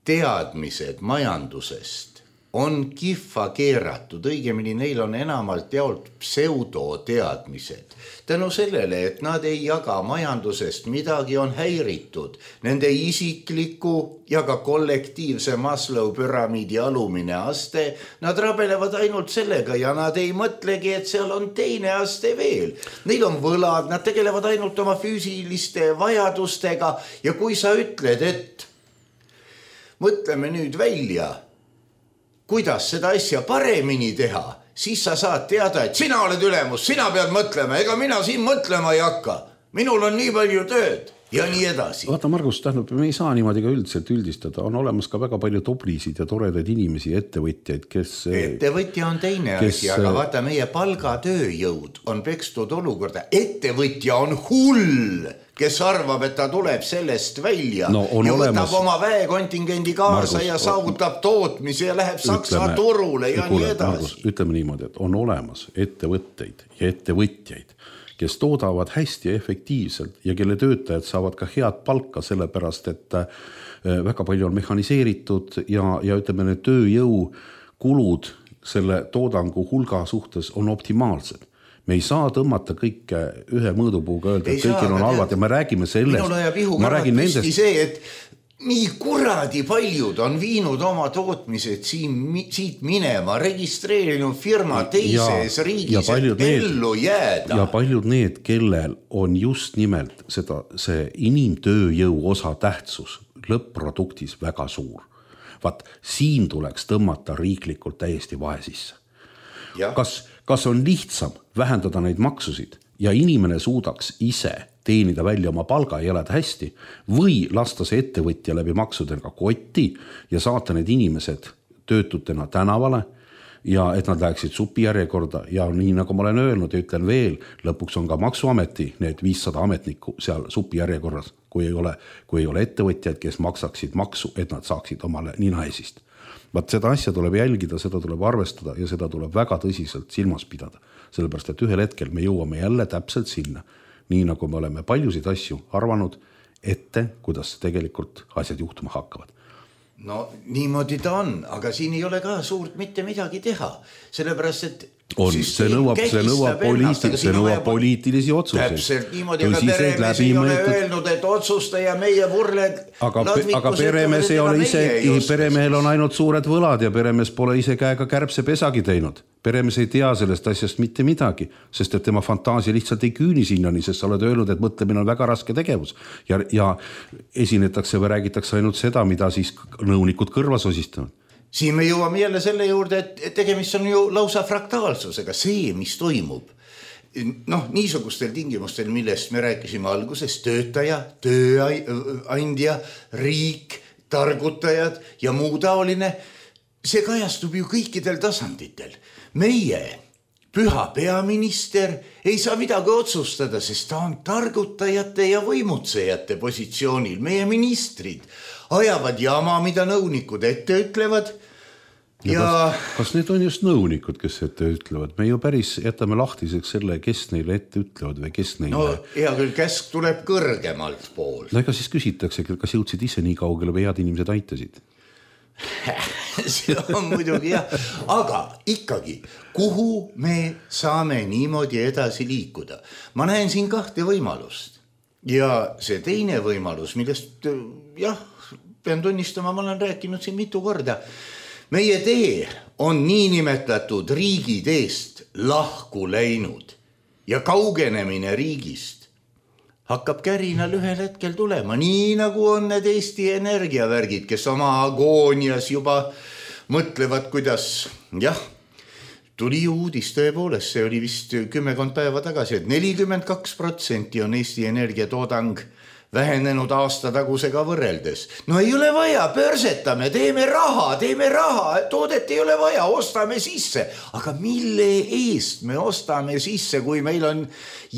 teadmised majandusest on kihva keeratud, õigemini neil on enamalt jaolt pseudoteadmised. Tänu sellele, et nad ei jaga majandusest midagi, on häiritud nende isikliku ja ka kollektiivse Maslow püramiidi alumine aste. Nad rabelevad ainult sellega ja nad ei mõtlegi, et seal on teine aste veel. Neil on võlad, nad tegelevad ainult oma füüsiliste vajadustega ja kui sa ütled, et mõtleme nüüd välja, kuidas seda asja paremini teha, siis sa saad teada, et sina oled ülemus, sina pead mõtlema, ega mina siin mõtlema ei hakka. Minul on nii palju tööd ja nii edasi. Vaata, Margus, tähendab, me ei saa niimoodi ka üldiselt üldistada. On olemas ka väga palju toblisid ja toredaid inimesi, ettevõtjaid, kes... Ettevõtja on teine kes... asi, aga vaata, meie palgatööjõud on pekstud olukorda. Ettevõtja on hull, kes arvab, et ta tuleb sellest välja no, ja võtab olemas... oma väekontingendi kaasa Margus, ja saavutab tootmise ja läheb Saksa ütleme, turule ja kuule, nii edasi. Margus, ütleme niimoodi, et on olemas ettevõtteid ja ettevõtjaid, kes toodavad hästi ja efektiivselt ja kelle töötajad saavad ka head palka, sellepärast, et väga palju on mehhaniseeritud ja, ja ütleme, need tööjõukulud selle toodangu hulga suhtes on optimaalsed. Me ei saa tõmmata kõike ühe mõõdupuuga öelda, et kõigil on halvad ja me räägime sellest. Minul ajab ihuga püsti see, et nii kuradi paljud on viinud oma tootmised siin, siit minema, registreerinud firma teises ja, riigis, ja et ellu jääda. Ja paljud need, kellel on just nimelt seda, see inimtööjõu osa tähtsus lõpp-produktis väga suur. Vaat, siin tuleks tõmmata riiklikult täiesti vahe sisse. Kas, kas on lihtsam vähendada neid maksusid ja inimene suudaks ise teenida välja oma palga ja elada hästi või lasta see ettevõtja läbi maksudega kotti ja saata need inimesed töötutena tänavale ja et nad läheksid supijärjekorda ja nii nagu ma olen öelnud ja ütlen veel, lõpuks on ka maksuameti need viissada ametnikku seal supijärjekorras, kui ei ole, kui ei ole ettevõtjad, kes maksaksid maksu, et nad saaksid omale ninaesist. Vaat seda asja tuleb jälgida, seda tuleb arvestada ja seda tuleb väga tõsiselt silmas pidada, sellepärast, et ühel hetkel me jõuame jälle täpselt sinna, nii nagu me oleme paljusid asju arvanud ette, kuidas tegelikult asjad juhtuma hakkavad. No niimoodi ta on, aga siin ei ole ka suurt mitte midagi teha, sellepärast, et on, see nõuab, see nõuab, poliitil, see nõuab poliitilisi otsuseid. Täpselt niimoodi, aga peremees ei ole öelnud, et otsusta ja meie vurled. Aga, aga peremees ei ole ise, peremehel on ainult suured võlad ja peremees pole ise käega kärbse pesagi teinud. Peremees ei tea sellest asjast mitte midagi, sest et tema fantaasia lihtsalt ei küüni sinnani, sest sa oled öelnud, et mõtlemine on väga raske tegevus ja, ja esinetakse või räägitakse ainult seda, mida siis nõunikud kõrvas osistavad. Siin me jõuame jälle selle juurde, et tegemist on ju lausa fraktaalsusega, see, mis toimub. Noh, niisugustel tingimustel, millest me rääkisime alguses, töötaja, tööandja, riik, targutajad ja muu taoline, see kajastub ju kõikidel tasanditel. Meie püha peaminister ei saa midagi otsustada, sest ta on targutajate ja võimutsejate positsioonil. Meie ministrid ajavad jama, mida nõunikud ette ütlevad. Ja, ja kas, kas need on just nõunikud, kes ette ütlevad? Me ju päris jätame lahtiseks selle, kes neile ette ütlevad või kes neile... No hea küll, käsk tuleb kõrgemalt pool. No ega siis küsitakse, kas jõudsid ise nii kaugele või head inimesed aitasid? See on muidugi jah, aga ikkagi, kuhu me saame niimoodi edasi liikuda? Ma näen siin kahte võimalust ja see teine võimalus, millest jah, pean tunnistama, ma olen rääkinud siin mitu korda. Meie tee on niinimetatud riigi teest lahku läinud ja kaugenemine riigist hakkab kärinal ühel hetkel tulema, nii nagu on need Eesti energiavärgid, kes oma agoonias juba mõtlevad, kuidas, jah, tuli uudis tõepoolest, see oli vist kümmekond päeva tagasi, et nelikümmend kaks protsenti on Eesti energiatoodang vähenenud aastatagusega võrreldes. No ei ole vaja, pörsetame, teeme raha, teeme raha, toodet ei ole vaja, ostame sisse. Aga mille eest me ostame sisse, kui meil on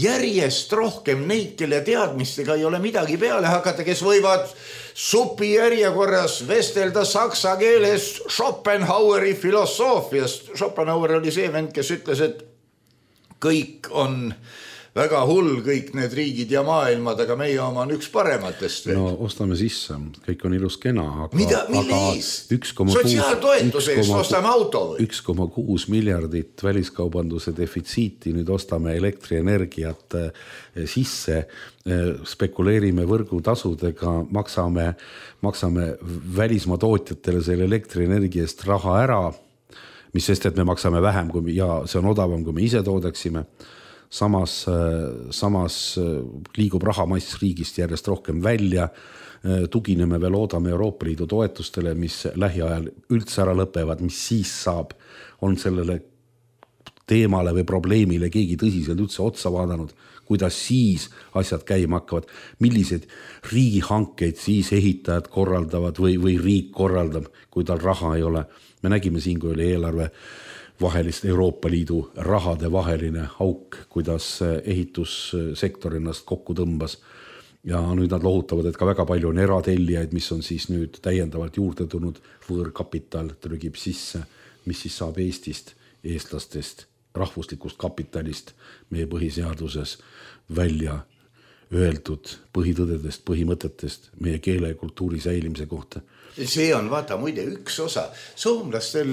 järjest rohkem neid, kelle teadmistega ei ole midagi peale hakata, kes võivad supi järjekorras vestelda saksa keeles Schopenhaueri filosoofiast. Schopenhauer oli see vend, kes ütles, et kõik on väga hull, kõik need riigid ja maailmad, aga meie oma on üks parematest. No ostame sisse, kõik on ilus kena. Aga, mida, mille eest? Sotsiaaltoetuse eest ostame auto või? üks koma kuus miljardit väliskaubanduse defitsiiti, nüüd ostame elektrienergiat sisse, spekuleerime võrgutasudega, maksame, maksame välismaa tootjatele selle elektrienergia eest raha ära, mis sest, et me maksame vähem kui, ja see on odavam, kui me ise toodaksime. Samas, samas liigub rahamass riigist järjest rohkem välja, tugineme veel oodame Euroopa Liidu toetustele, mis lähiajal üldse ära lõpevad, mis siis saab, on sellele teemale või probleemile keegi tõsiselt üldse otsa vaadanud, kuidas siis asjad käima hakkavad, millised riigihankeid siis ehitajad korraldavad või, või riik korraldab, kui tal raha ei ole. Me nägime siin, kui oli eelarve vahelist Euroopa Liidu rahade vaheline auk, kuidas ehitussektor ennast kokku tõmbas. Ja nüüd nad lohutavad, et ka väga palju on eratellijaid, mis on siis nüüd täiendavalt juurde tulnud, võõrkapital trügib sisse, mis siis saab Eestist, eestlastest, rahvuslikust kapitalist meie põhiseaduses välja öeldud põhitõdedest, põhimõtetest meie keele ja kultuuri säilimise kohta. See on, vaata, muide üks osa. Soomlastel,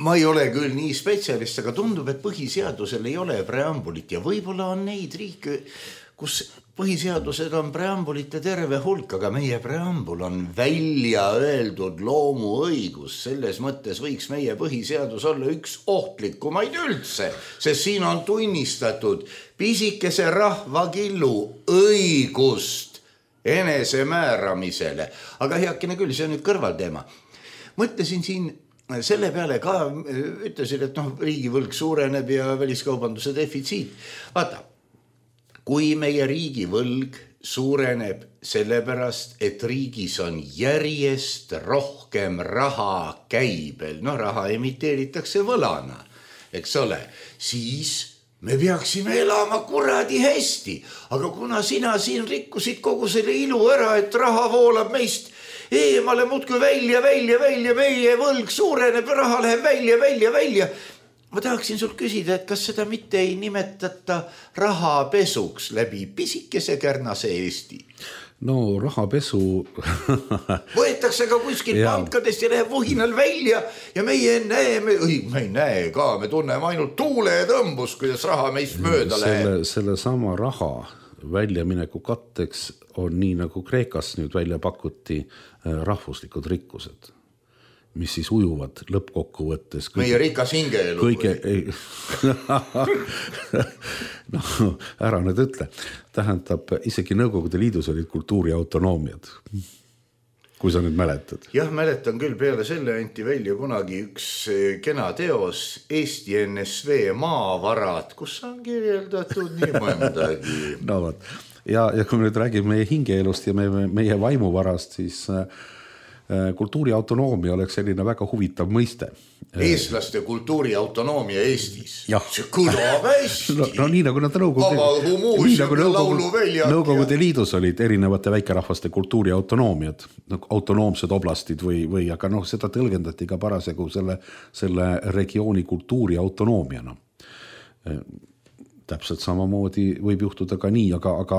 ma ei ole küll nii spetsialist, aga tundub, et põhiseadusel ei ole preambulit ja võib-olla on neid riike, kus põhiseadused on preambulite terve hulk, aga meie preambul on välja öeldud loomuõigus. Selles mõttes võiks meie põhiseadus olla üks ohtlikumaid üldse, sest siin on tunnistatud pisikese rahvakillu õigust enesemääramisele. Aga heakene küll, see on nüüd kõrvalteema. Mõtlesin siin selle peale ka, ütlesin, et noh, riigivõlg suureneb ja väliskaubanduse defitsiit. Vaata, kui meie riigivõlg suureneb sellepärast, et riigis on järjest rohkem raha käibel, no raha emiteeritakse võlana, eks ole, siis me peaksime elama kuradi hästi, aga kuna sina siin rikkusid kogu selle ilu ära, et raha voolab meist eemale muudkui välja, välja, välja, meie võlg suureneb, raha läheb välja, välja, välja. Ma tahaksin sul küsida, et kas seda mitte ei nimetata rahapesuks läbi pisikese kärnase Eesti? no rahapesu võetakse ka kuskil pankadest ja läheb võhinal välja ja meie näeme, me ei näe ka, me tunneme ainult tuule ja tõmbus, kuidas raha meist mööda selle, läheb. Selle sama raha väljamineku katteks on nii nagu Kreekas nüüd välja pakuti rahvuslikud rikkused, mis siis ujuvad lõppkokkuvõttes kõige, meie rikas hingeelu kõige, ei, no ära nüüd ütle, tähendab isegi Nõukogude Liidus olid kultuuri autonoomiad, kui sa nüüd mäletad. Jah, mäletan küll, peale selle anti välja kunagi üks kena teos Eesti N S V maavarad, kus on kirjeldatud nii mõndagi. No võt, ja, ja kui me nüüd räägime meie hingeelust ja meie, meie vaimuvarast, siis kultuuri autonoomia oleks selline väga huvitav mõiste. Eestlaste kultuuri autonoomia Eestis. Ja. See kõlab hästi. No, no nii nagu nad Nõukogude, nii nagu Nõukogude, Nõukogude Liidus olid erinevate väikerahvaste kultuuri autonoomiad, autonoomsed oblastid või, või aga noh, seda tõlgendati ka parasjagu selle, selle regiooni kultuuri autonoomiana. Täpselt samamoodi võib juhtuda ka nii, aga, aga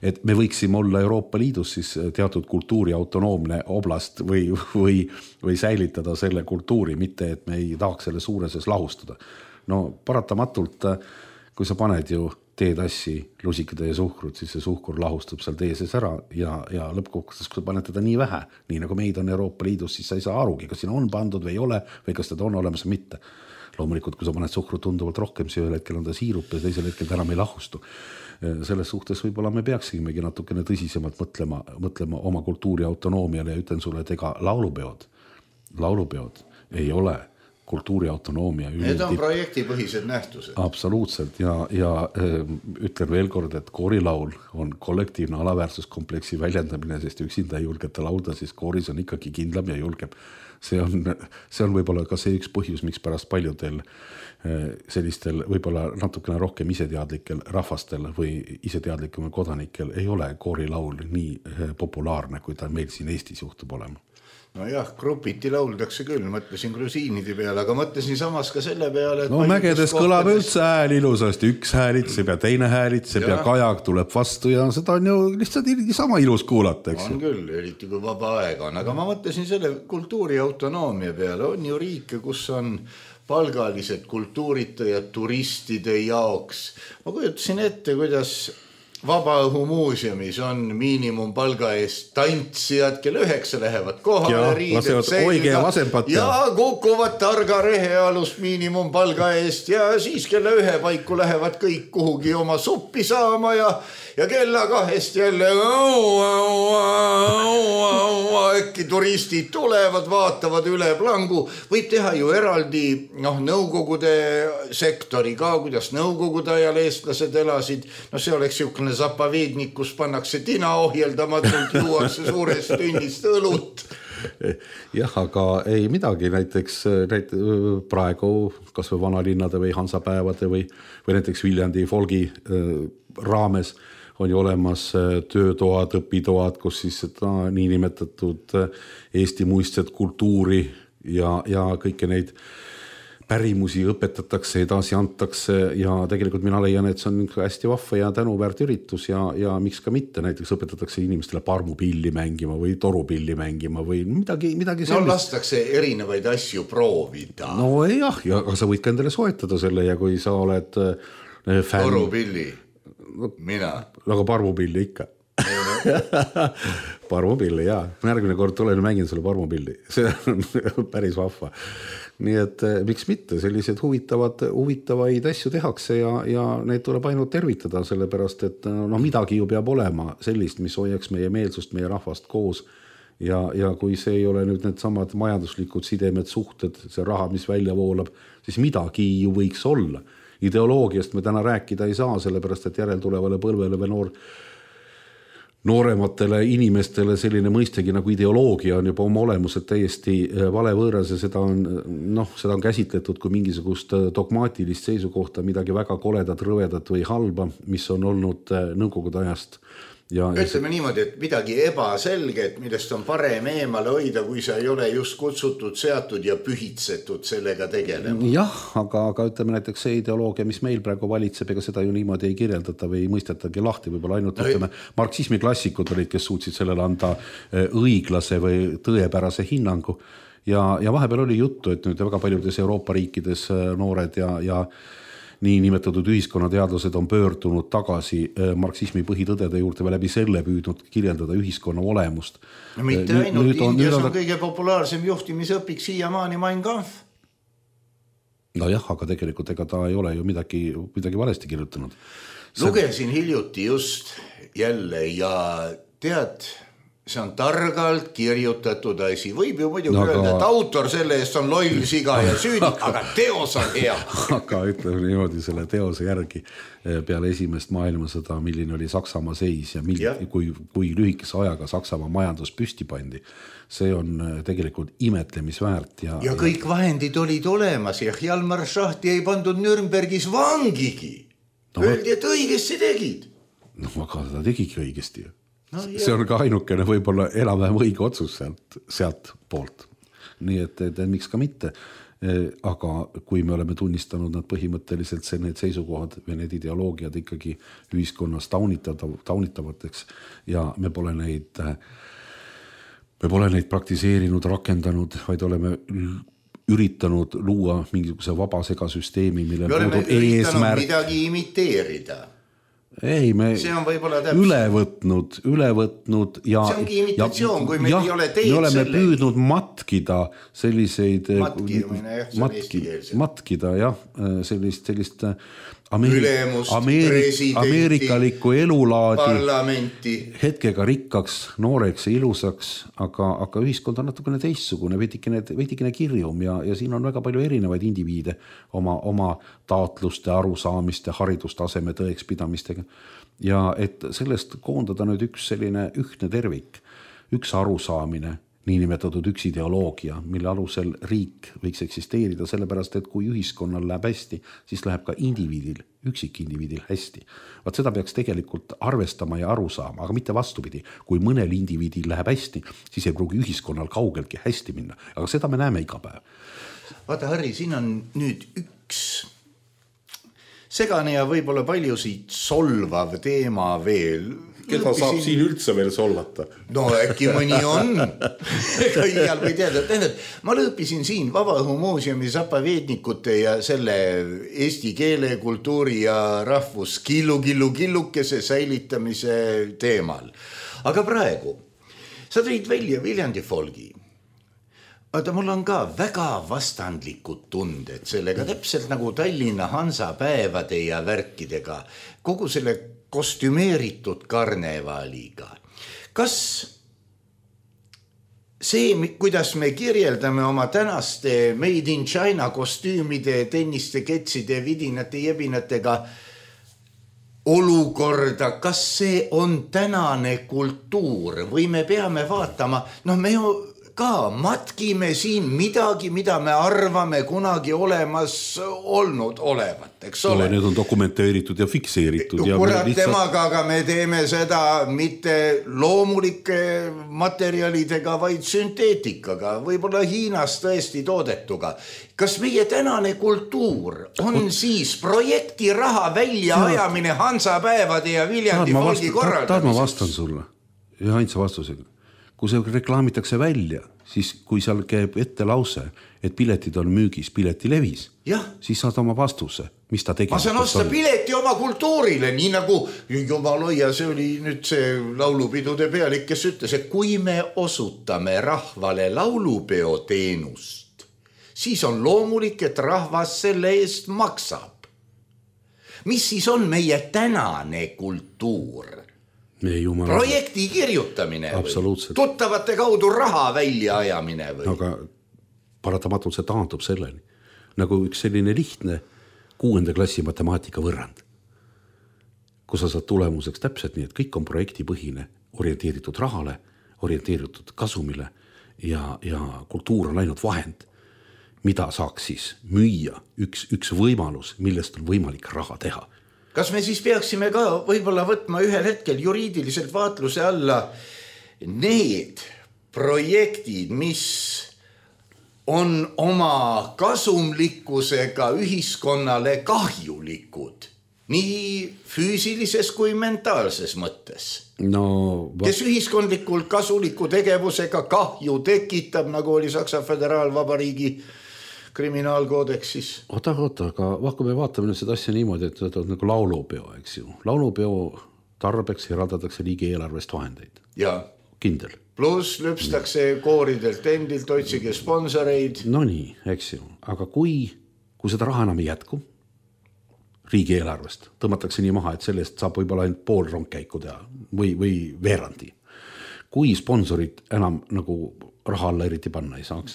et me võiksime olla Euroopa Liidus siis teatud kultuuri autonoomne oblast või, või, või säilitada selle kultuuri, mitte et me ei tahaks selle suureses lahustada. No paratamatult, kui sa paned ju teetassi, lusikade ja suhkrut, siis see suhkur lahustub seal tee sees ära ja, ja lõppkokkuvõttes, kui sa paned teda nii vähe, nii nagu meid on Euroopa Liidus, siis sa ei saa arugi, kas siin on pandud või ei ole või kas teda on olemas või mitte. Loomulikult, kui sa paned suhkru tunduvalt rohkem, siis ühel hetkel on ta siirup ja teisel hetkel ta enam ei lahustu. Selles suhtes võib-olla me peaksimegi natukene tõsisemalt mõtlema, mõtlema oma kultuuri autonoomiale ja ütlen sulle, et ega laulupeod, laulupeod ei ole kultuuri autonoomia. Need on projektipõhised nähtused. Absoluutselt ja, ja ütlen veel kord, et koorilaul on kollektiivne alaväärsuskompleksi väljendamine, sest üksinda ei julgeta laulda, siis kooris on ikkagi kindlam ja julgem. See on, see on võib-olla ka see üks põhjus, miks pärast paljudel sellistel võib-olla natukene rohkem iseteadlikel rahvastel või iseteadlikumel kodanikel ei ole koorilaul nii populaarne, kui ta meil siin Eestis juhtub olema. No jah, grupiti lauldakse küll, mõtlesin grusiinide peale, aga mõtlesin samas ka selle peale, et no mägedes kõlab üldse hääl ilusasti, üks häälitseb ja teine häälitseb ja, ja kajak tuleb vastu ja seda on ju lihtsalt sama ilus kuulata, eks. On küll, eriti kui vaba aega on, aga ma mõtlesin selle kultuuri autonoomia peale, on ju riike, kus on palgalised kultuuritajad turistide jaoks. Ma kujutasin ette, kuidas Vabaõhumuuseumis on miinimumpalga eest tantsijad, kelle üheksa lähevad kohale, riided selga ja kukuvad targa rehealust miinimumpalga eest ja siis kelle ühe paiku lähevad kõik kuhugi oma suppi saama ja, ja kella kahest jälle äkki turistid tulevad, vaatavad üle plangu. Võib teha ju eraldi noh, nõukogude sektori ka, kuidas nõukogude ajal eestlased elasid. No see oleks jõukne zapavednik, kus pannakse tina ohjeldamatult, juuakse suurest tünnist õlut. Jah, aga ei midagi, näiteks näit, praegu kas või vanalinnade või Hansapäevade või, või näiteks Viljandi folgi raames on ju olemas töötoad, õpitoad, kus siis seda niinimetatud Eesti muistset kultuuri ja, ja kõike neid pärimusi õpetatakse, edasi antakse ja tegelikult mina leian, et see on hästi vahva ja tänuväärt üritus ja, ja miks ka mitte, näiteks õpetatakse inimestele parmupilli mängima või torupilli mängima või midagi, midagi sellist. No lastakse erinevaid asju proovida. No jah, ja sa võid ka endale soetada selle ja kui sa oled fänn. Torupilli, mina. Aga parmupilli ikka. Parmupilli, jaa. Järgmine kord tulen mängin sulle parmupilli. See on päris vahva. Nii et miks mitte, sellised huvitavad, huvitavaid asju tehakse ja, ja neid tuleb ainult tervitada, sellepärast, et no, midagi ju peab olema sellist, mis hoiaks meie meelsust, meie rahvast koos. Ja, ja kui see ei ole nüüd need samad majanduslikud sidemed, suhted, see raha, mis välja voolab, siis midagi ju võiks olla. Ideoloogiast me täna rääkida ei saa, sellepärast, et järeltulevale põlvele või noor noorematele inimestele selline mõistegi nagu ideoloogia on juba oma olemuselt täiesti vale võõras ja seda on, noh, seda on käsitletud kui mingisugust dogmaatilist seisukohta, midagi väga koledat, rõvedat või halba, mis on olnud nõukogude ajast Ja, ütleme ja niimoodi, et midagi ebaselget, millest on parem eemale hoida, kui sa ei ole just kutsutud, seatud ja pühitsetud sellega tegelema. Jah, aga, aga ütleme näiteks see ideoloogia, mis meil praegu valitseb, ega seda ju niimoodi ei kirjeldata või ei mõistetagi lahti, võib-olla ainult no, ütleme, marksismi klassikud olid, kes suutsid sellele anda õiglase või tõepärase hinnangu ja, ja vahepeal oli juttu, et nüüd väga paljudes Euroopa riikides noored ja, ja nii nimetatud ühiskonnateadlased on pöördunud tagasi marksismi põhitõdede juurde või läbi selle püüdnud kirjeldada ühiskonna olemust. No mitte nüüd, ainult, nüüd on, Indias on, on kõige populaarsem juhtimisõpik siiamaani Mein Kampf. No jah, aga tegelikult ega ta ei ole ju midagi, midagi valesti kirjutanud. Lugesin hiljuti just jälle ja tead, see on targalt kirjutatud asi. Võib ju muidugi no, öelda, et autor selle eest on loll siga ja süüdik, aga teos on hea. Aga ütleme niimoodi selle teose järgi peale esimest maailmasõda, milline oli Saksamaa seis ja, mil, ja. Kui, kui lühikese ajaga Saksamaa majandus püsti pandi. See on tegelikult imetlemisväärt. Ja, ja kõik vahendid olid olemas ja Hjalmar Schachti ei pandud Nürnbergis vangigi. No, öeldi, et õigesti tegid. No aga ta tegigi õigesti ju. No, see on ka ainukene võib-olla enam-vähem õige otsus sealt, sealt poolt. Nii et, et miks ka mitte. Aga kui me oleme tunnistanud nad põhimõtteliselt see, need seisukohad või need ideoloogiad ikkagi ühiskonnas taunitavateks ja me pole neid, me pole neid praktiseerinud, rakendanud, vaid oleme üritanud luua mingisuguse vaba segasüsteemi, mille me oleme üritanud midagi imiteerida. Ei, me üle võtnud, üle võtnud ja, see ongi imitatsioon, ja, kui meil ja, ei ole teed me oleme selle. Püüdnud matkida selliseid matkimine, jah, see on eestikeelse. Matkida, jah, sellist, sellist Ameeri- ülemust, Ameeri- ameerikalikku elulaadi parlamenti. Hetkega rikkaks, nooreks ja ilusaks, aga, aga ühiskond on natukene teistsugune, veidikene, veidikene kirjum ja, ja siin on väga palju erinevaid indiviide oma, oma taotluste, arusaamiste, haridustaseme tõekspidamistega. Ja et sellest koondada nüüd üks selline ühtne tervik, üks arusaamine, niinimetatud üks ideoloogia, mille alusel riik võiks eksisteerida, sellepärast, et kui ühiskonnal läheb hästi, siis läheb ka indiviidil, üksikindiviidil hästi. Vaat seda peaks tegelikult arvestama ja aru saama, aga mitte vastupidi. Kui mõnel indiviidil läheb hästi, siis ei pruugi ühiskonnal kaugeltki hästi minna, aga seda me näeme iga päev. Vaata, Harri, siin on nüüd üks segane ja võib-olla paljusid solvav teema veel. Keda saab siin üldse veel solvata? No äkki mõni on. Ega igal või teada. Ma lõõpisin siin Vabaõhumuuseumi zapaveednikute ja selle eesti keele, kultuuri ja rahvus killu, killu, killukese säilitamise teemal. Aga praegu sa tõid välja Viljandi folgi. Aga mul on ka väga vastandlikud tunded sellega, täpselt nagu Tallinna Hansapäevade ja värkidega, kogu selle kostümeeritud karnevaliga. Kas see, kuidas me kirjeldame oma tänaste Made in China kostüümide, tenniste, ketside, vidinate, jebinatega olukorda, kas see on tänane kultuur või me peame vaatama, noh me ju ka matkime siin midagi, mida me arvame kunagi olemas olnud olevat, eks ole. No, need on dokumenteeritud ja fikseeritud. Ja kurat lihtsalt... temaga, aga me teeme seda mitte loomulike materjalidega, vaid sünteetikaga, võib-olla Hiinas tõesti toodetuga. Kas meie tänane kultuur on Ot... siis projekti raha välja ajamine Hansapäevade ja Viljandi folgi korraldamiseks? Taad ma vastan sulle ja ainsa vastusega. Kui see reklaamitakse välja, siis kui seal käib ette lause, et piletid on müügis, pileti levis, ja. Siis saad oma vastuse, mis ta tegema. Ma saan osta pileti oma kultuurile, nii nagu Jumaloia, see oli nüüd see laulupidude pealik, kes ütles, et kui me osutame rahvale laulupeo teenust, siis on loomulik, et rahvas selle eest maksab. Mis siis on meie tänane kultuur? Jumala... projekti kirjutamine või tuttavate kaudu raha välja ajamine või? Aga paratamatult see taandub selleni. Nagu üks selline lihtne kuuenda klassi matemaatika võrrand, kus sa saad tulemuseks täpselt nii, et kõik on projektipõhine, orienteeritud rahale, orienteeritud kasumile ja, ja kultuur on ainult vahend, mida saaks siis müüa üks, üks võimalus, millest on võimalik raha teha. kas me siis peaksime ka võib-olla võtma ühel hetkel juriidiliselt vaatluse alla need projektid, mis on oma kasumlikkusega ühiskonnale kahjulikud, nii füüsilises kui mentaalses mõttes. No, va... kes ühiskondlikult kasuliku tegevusega kahju tekitab, nagu oli Saksa Föderaalvabariigi kriminaalkoodeksis. Oota, oota, aga kui me vaatame seda asja niimoodi, et see on nagu laulupeo, eks ju. Laulupeo tarbeks eraldatakse riigi eelarvest vahendeid. Ja. Kindel. Plus lüpstakse kooridelt endilt, otsige sponsoreid. No nii, eks ju. Aga kui, kui seda raha enam ei jätku, riigi eelarvest tõmmatakse nii maha, et sellest saab võib-olla ainult pool rongkäiku teha või, või veerandi. Kui sponsorid enam nagu raha alla eriti panna ei saaks.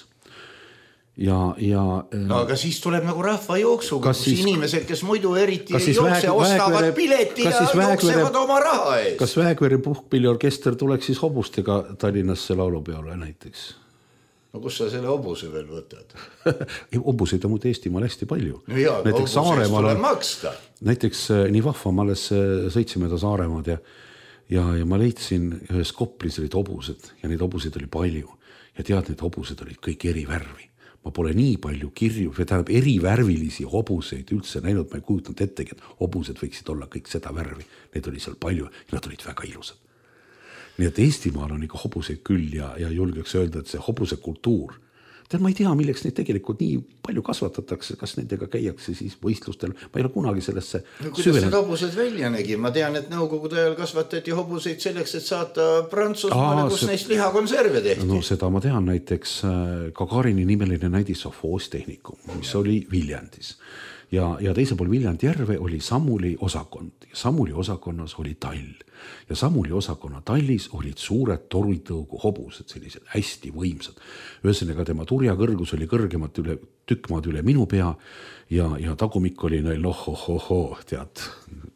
Ja, ja, no aga siis tuleb nagu rahva jooksuga, kus siis, inimesed, kes muidu eriti ei jookse, väeg, ostavad väegvere, pileti ja jooksevad väeg, oma raha ees. Kas Väekvere puhkpilliorkester tuleks siis hobustega Tallinnasse laulupeole näiteks? No kus sa selle hobuse veel võtad? Hobuseid on muud Eestimaal hästi palju. No jaa, hobuse eest tuleb maksta. Näiteks nii vahva, ma alles sõitsime ta Saaremaad ja, ja, ja ma leidsin ühes Koplis olid hobused ja neid hobuseid oli palju. Ja tead, need hobused olid kõik eri värvi. Ma pole nii palju kirju, tähendab erivärvilisi hobuseid üldse näinud, ma ei kujutanud ettegi, et hobused võiksid olla kõik seda värvi. Need oli seal palju ja nad olid väga ilusad. Nii et Eestimaal on ikka hobuseid küll ja, ja julgeks öelda, et see hobuse kultuur, tead, ma ei tea, milleks neid tegelikult nii palju kasvatatakse, kas nendega käiakse siis võistlustel, ma ei ole kunagi sellesse no, kuidas süvenenud. Need hobused välja nägi? Ma tean, et nõukogude ajal kasvatati hobuseid selleks, et saata Prantsusmaale, kus see... neist lihakonserve tehti. No seda ma tean, näiteks Gagarini nimeline näidis Sofoostehnikum, mis oli Viljandis. Ja, ja teisel pool Viljandi järve oli Samuli osakond ja Samuli osakonnas oli tall ja Samuli osakonna tallis olid suured toritõugu hobused, sellised hästi võimsad. Ühesõnaga tema turja kõrgus oli kõrgemat üle, tükkmaad üle minu pea ja, ja tagumik oli neil ohohoho, tead,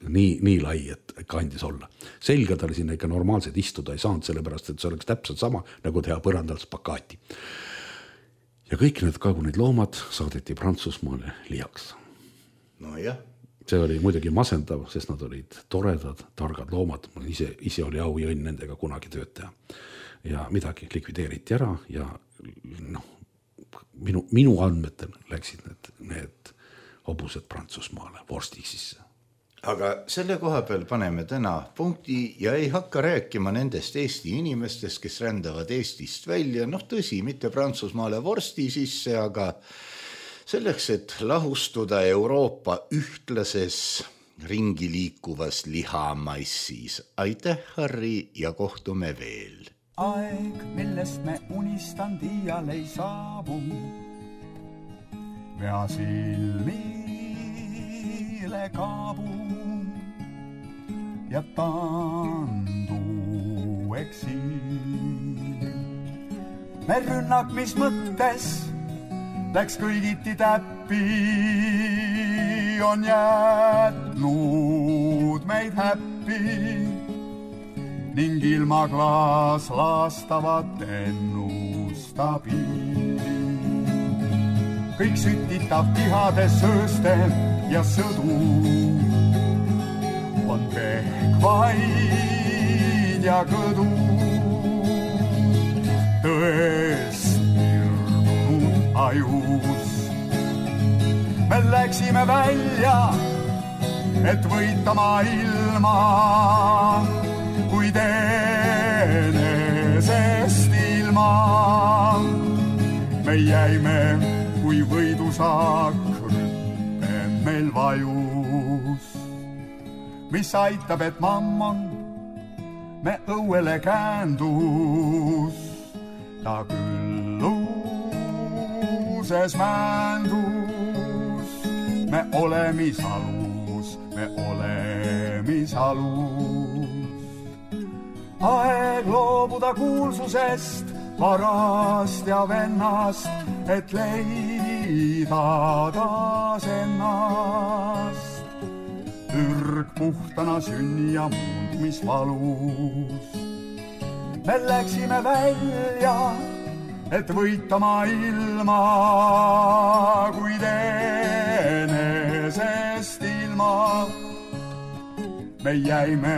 nii, nii lai, et kandis olla. Selga tal sinna ikka normaalselt istuda ei saanud, sellepärast, et see oleks täpselt sama, nagu teha põrandal spakaati. Ja kõik need kagunid loomad saadeti Prantsusmaale liaks. No jah. See oli muidugi masendav, sest nad olid toredad, targad loomad. Ise, ise oli au ja õnn nendega kunagi tööd teha. Ja midagi likvideeriti ära ja noh, minu, minu andmetel läksid need, need hobused Prantsusmaale vorsti sisse. Aga selle koha peal paneme täna punkti ja ei hakka rääkima nendest Eesti inimestest, kes rändavad Eestist välja. Noh tõsi, mitte Prantsusmaale vorsti sisse, aga selleks, et lahustuda Euroopa ühtlases ringi liikuvas lihamassis. Aitäh, Harri, ja kohtume veel. Aeg, millest me unistan, dial ei saabu. Vea silmile kaabu ja tandu eksil. Me rünnak, mis mõttes läks kõigiti täppi, on jätnud meid häppi ning ilma klaas laastavat ennustabi. Kõik sütitab tihade sööste ja sõdu on pehkvaid ja kõdu tõest ajus. Me läksime välja, et võita maailma, kuid enesest ilma. Me jäime, kui võidusaak rüppen meil vajus. Mis aitab, et mammon me õuele käändus, ta küll luuses mändus. Me olemis alus, me olemis alus. Aeg loobuda kuulsusest, varast ja vennast, et leida taas ennast. Ürg puhtana sünni ja muund, mis valus. Me läksime välja, et võita maailma, kuid enesest ilma. me jäime,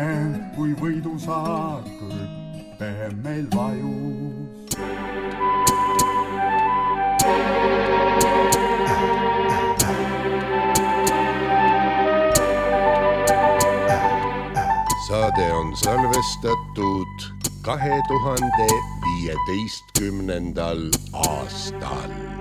kui võidusaar kõrpe meil vajus. Saade on salvestatud kahe tuhande viieteistkümnendal aastal.